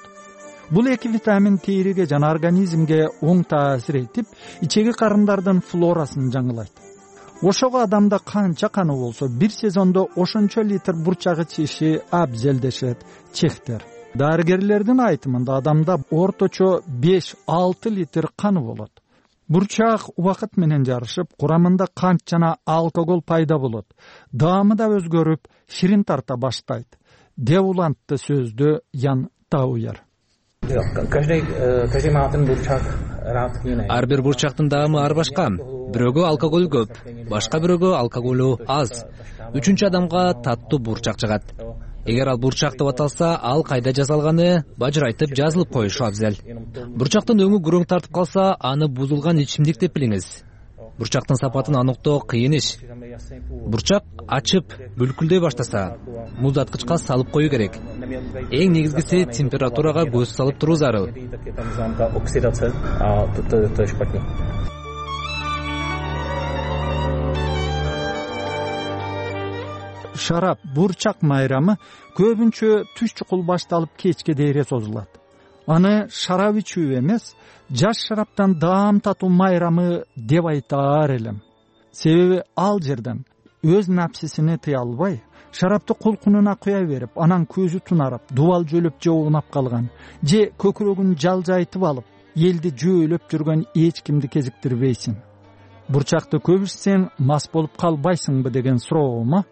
Бул эки витамин териге жана организмге оң таасир этип, ичеги карындардын флорасын жаңылайт. Ошого адамда канча каны болсо, бир сезондо ошончо литр бурчак ичиши абзел дешет чехтер. Дарыгерлердин айтымында адамда орточо беш алты литр каны болот. Бурчак убакыт менен жарышып, курамында кант жана алкоголь пайда болот. Даамы да өзгөрүп, ширин тарта баштайт. Деп улантты сөздү Ян Тауер. Ар бир бурчактын даамы ар башка. Бирөөгө алкоголь көп, башка бирөөгө алкоголу аз. Үчүнчү адамга таттуу бурчак жагат. Эгер ал бурчак деп аталса, ал кайда жасалганы бажырайтып жазылып коюшу абзел. Бурчактын өңү күрөң тартып калса, аны бузулган ичимдик деп билиңиз. Бурчактын сапатын аныктоо кыйын иш. Бурчак ачып, бүлкүлдөй баштаса, муздаткычка салып коюу керек. Эң негизгиси температурага көз салып туруу зарыл. Шарап бурчак майрамы көбүнчө түш чукул башталып кечке дейре созулат. Аны шарап ичүү эмес, жаш шараптан даам татуу майрамы деп айтаар элем. Себеби ал жерден өз напсисини тыя албай, шарапты кулкунуна куя берип, анан көзү тунарып, дубал жөлөп же уунап калган, же көкүрөгүн жалжайтып алып, элди жөөлөп жүргөн эч кимди кезиктирбейсиң. Бурчакты көп ичсең мас болуп калбайсыңбы деген суроому?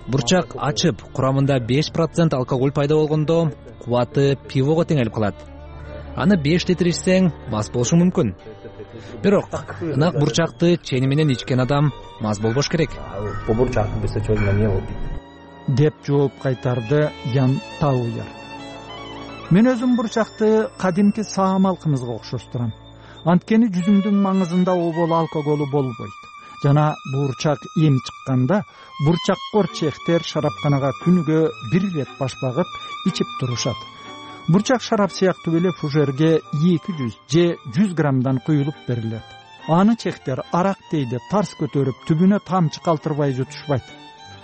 бурчак ачып курамында беш процент алкоголь пайда болгондо кубаты пивого теңелип калат. Аны беш литр ичсең мас болушуң мүмкүн. Бирок ынак бурчакты чени менен ичкен адам мас болбош керек деп жооп кайтарды Ян Тауер. Мен өзүм бурчакты кадимки саамалкымызга окшоштурам. Анткени жүзүмдүн маңызында обол алкоголу болбойт. Жана бурчак эм чыкканда бурчаккор чехтер шарапканага күнүгө бир ирет баш багып ичип турушат. Бурчак шарап сыяктуу эле фужерге эки жүз же жүз граммдан куюлуп берилет. Аны чехтер арак дейди тарс көтөрүп түбүнө тамчы калтырбай жутушпайт.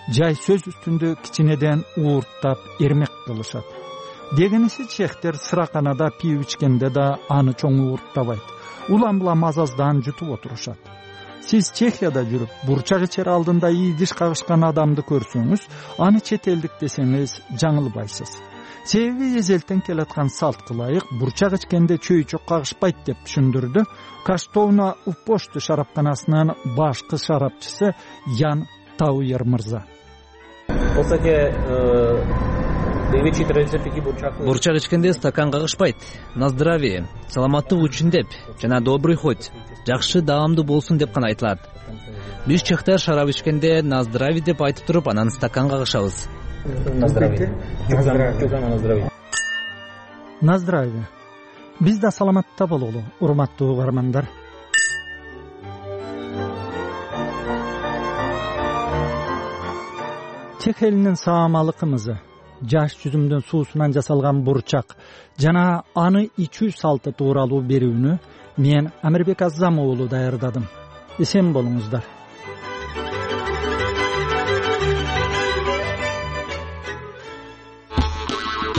Жай сөз үстүндө кичинеден уурттап эрмек кылышат. Дегенisi чехтер сыраканада пиво ичкенде да аны чоң уурттабайт. Улам булам азаздан жутуп отурушат. Сиз Чехияда жүрүп, бурчак ичер алдында ийдиш кагышкан адамды көрсөңүз, аны чет элдик десеңиз жаңылбайсыз. Себеби эзелтен келаткан салтка ылайык бурчак ичкенде чөйчөк кагышпайт деп түшүндүрдү Каштовна Уппошты шарапканасынын башкы шарапчысы Ян Тауер мырза. Бурчак ичкенде стакан кагышпайт. На здравие, саламаттык үчүн деп жана добрый хоть, жакшы даамдуу болсун деп гана айтылат. Биз чехтер шарап ичкенде на здравие деп айтып туруп, анан стакан кагышабыз. На здравие. На здравие. Биз да саламатта бололу, урматтуу угармандар. Чех элинин саамалы кымызы, жаш жүзүмдүн суусунан жасалган бурчак жана аны ичүү салты тууралуу берүүнү мен Амирбек Аззам уулу даярдадым. Эсен болуңуздар.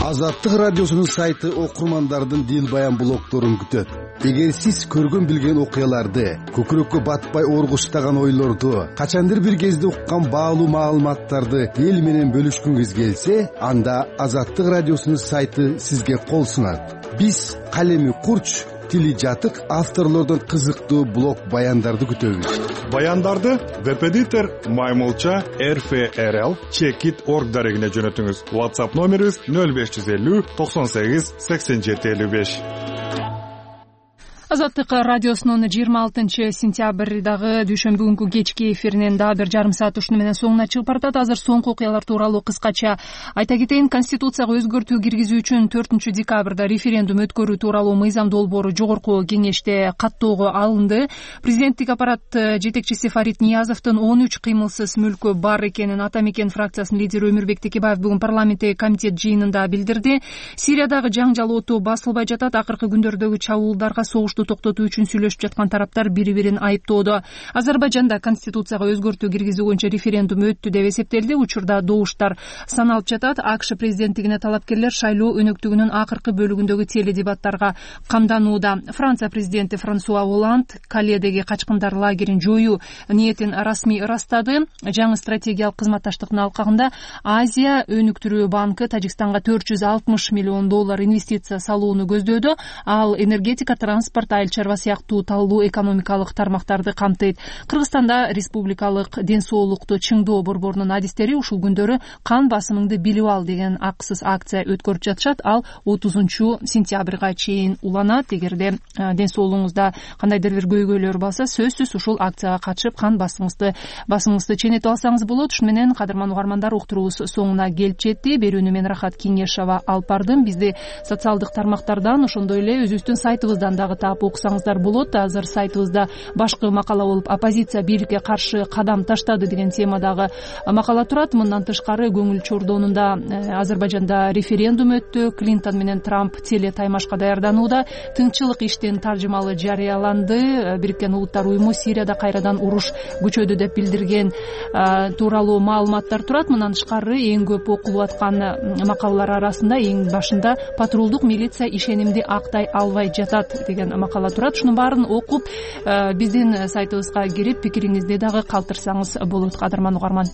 Азаттык радиосунун сайты окурмандардын дил баян блогдорун күтөт. Эгер сиз көргөн билген окуяларды, көкүрөккө батпай оргуштаган ойлорду, качандыр бир кезде уккан баалуу маалыматтарды эл менен бөлүшкүңүз келсе, анда Азаттык радиосунун сайты сизге кол сунат. Биз калеми курч, тили жатык авторлордон кызыктуу блог баяндарды күтөбүз. Баяндарды веб-эдитор маймулча эр эф эр эл чекит точка орг дарегине жөнөтүңүз. WhatsApp номерибиз нөл беш жүз элүү токсон сегиз сексен жети элүү беш. Азаттык радиосунун жыйырма алтынчы сентябрдагы дүйшөмбү күнкү кечки эфиринен дагы бир жарым саат ушуну менен соңуна чыгып баратат. Азыр соңку окуялар тууралуу кыскача айта кетейин. Конституцияга өзгөртүү киргизүү үчүн төртүнчү декабрда референдум өткөрүү тууралуу мыйзам долбоору жогорку кеңеште каттоого алынды. Президенттик аппарат жетекчиси Фарид Ниязовдун он үч кыймылсыз мүлкү бар экенин Ата Мекен фракциясынын лидери Өмүрбек Текебаев бүгүн парламенттеги комитет жыйынында билдирди. Сириядагы жаңжал оту басылбай жатат. Акыркы күндөрдөгү чабуулдарга согуш токтотуу үчүн сүйлөшүп жаткан тараптар бири-бирин айыптоодо. Азербайжанда конституцияга өзгөртүү киргизүү боюнча референдум өттү деп эсептелди. Учурда добуштар саналып жатат. АКШ президенттигине талапкерлер шайлоо өнөктүгүнүн акыркы бөлүгүндөгү теледебаттарга камданууда. Франция президенти Франсуа Оланд Каледеги качкындар лагерин жоюу ниетин расмий ырастады. Жаңы стратегиялык кызматташтыктын алкагында Азия өнүктүрүү банкы Тажикстанга төрт жүз алтымыш миллион доллар инвестиция салууну көздөөдө. Ал энергетика, транспорт, айыл чарба сыяктуу талдуу экономикалык тармактарды камтыйт. Кыргызстанда республикалык ден соолукту чыңдоо борборунун адистери ушул күндөрү кан басымыңды билип ал деген акысыз акция өткөрүп жатышат. Ал отузунчу сентябрга чейин уланат. Эгерде ден соолугуңузда кандайдыр бир көйгөйлөр болсо, сөзсүз ушул акцияга катышып кан басымыңызды басымыңызды ченетип алсаңыз болот. Ушуну менен кадырман угармандар, уктуруубуз соңуна келип жетти. Берүүнү мен Рахат Кеңешова алып бардым. Бизди социалдык тармактардан, ошондой эле өзүбүздүн сайтыбыздан дагы таап окусаңыздар болот. Азыр сайтыбызда башкы макала болуп оппозиция бийликке каршы кадам таштады деген темадагы макала турат. Мындан тышкары көңүл чордоонунда Азербайжанда референдум өттү. Клинтон менен Трамп теле таймашка даярданууда. Тынччылык иштин таржымалы жарыяланды. Бириккен Улуттар уюму Сирияда кайрадан уруш күчөдү деп билдирген тууралуу маалыматтар турат. Мындан тышкары эң көп окулуп аткан макалалар арасында эң башында патрулдук милиция ишенимди актай албай жатат деген макала турат. Ушунун баарын окуп биздин сайтыбызга кирип пикириңизди дагы калтырсаңыз болот, кадырман угарман.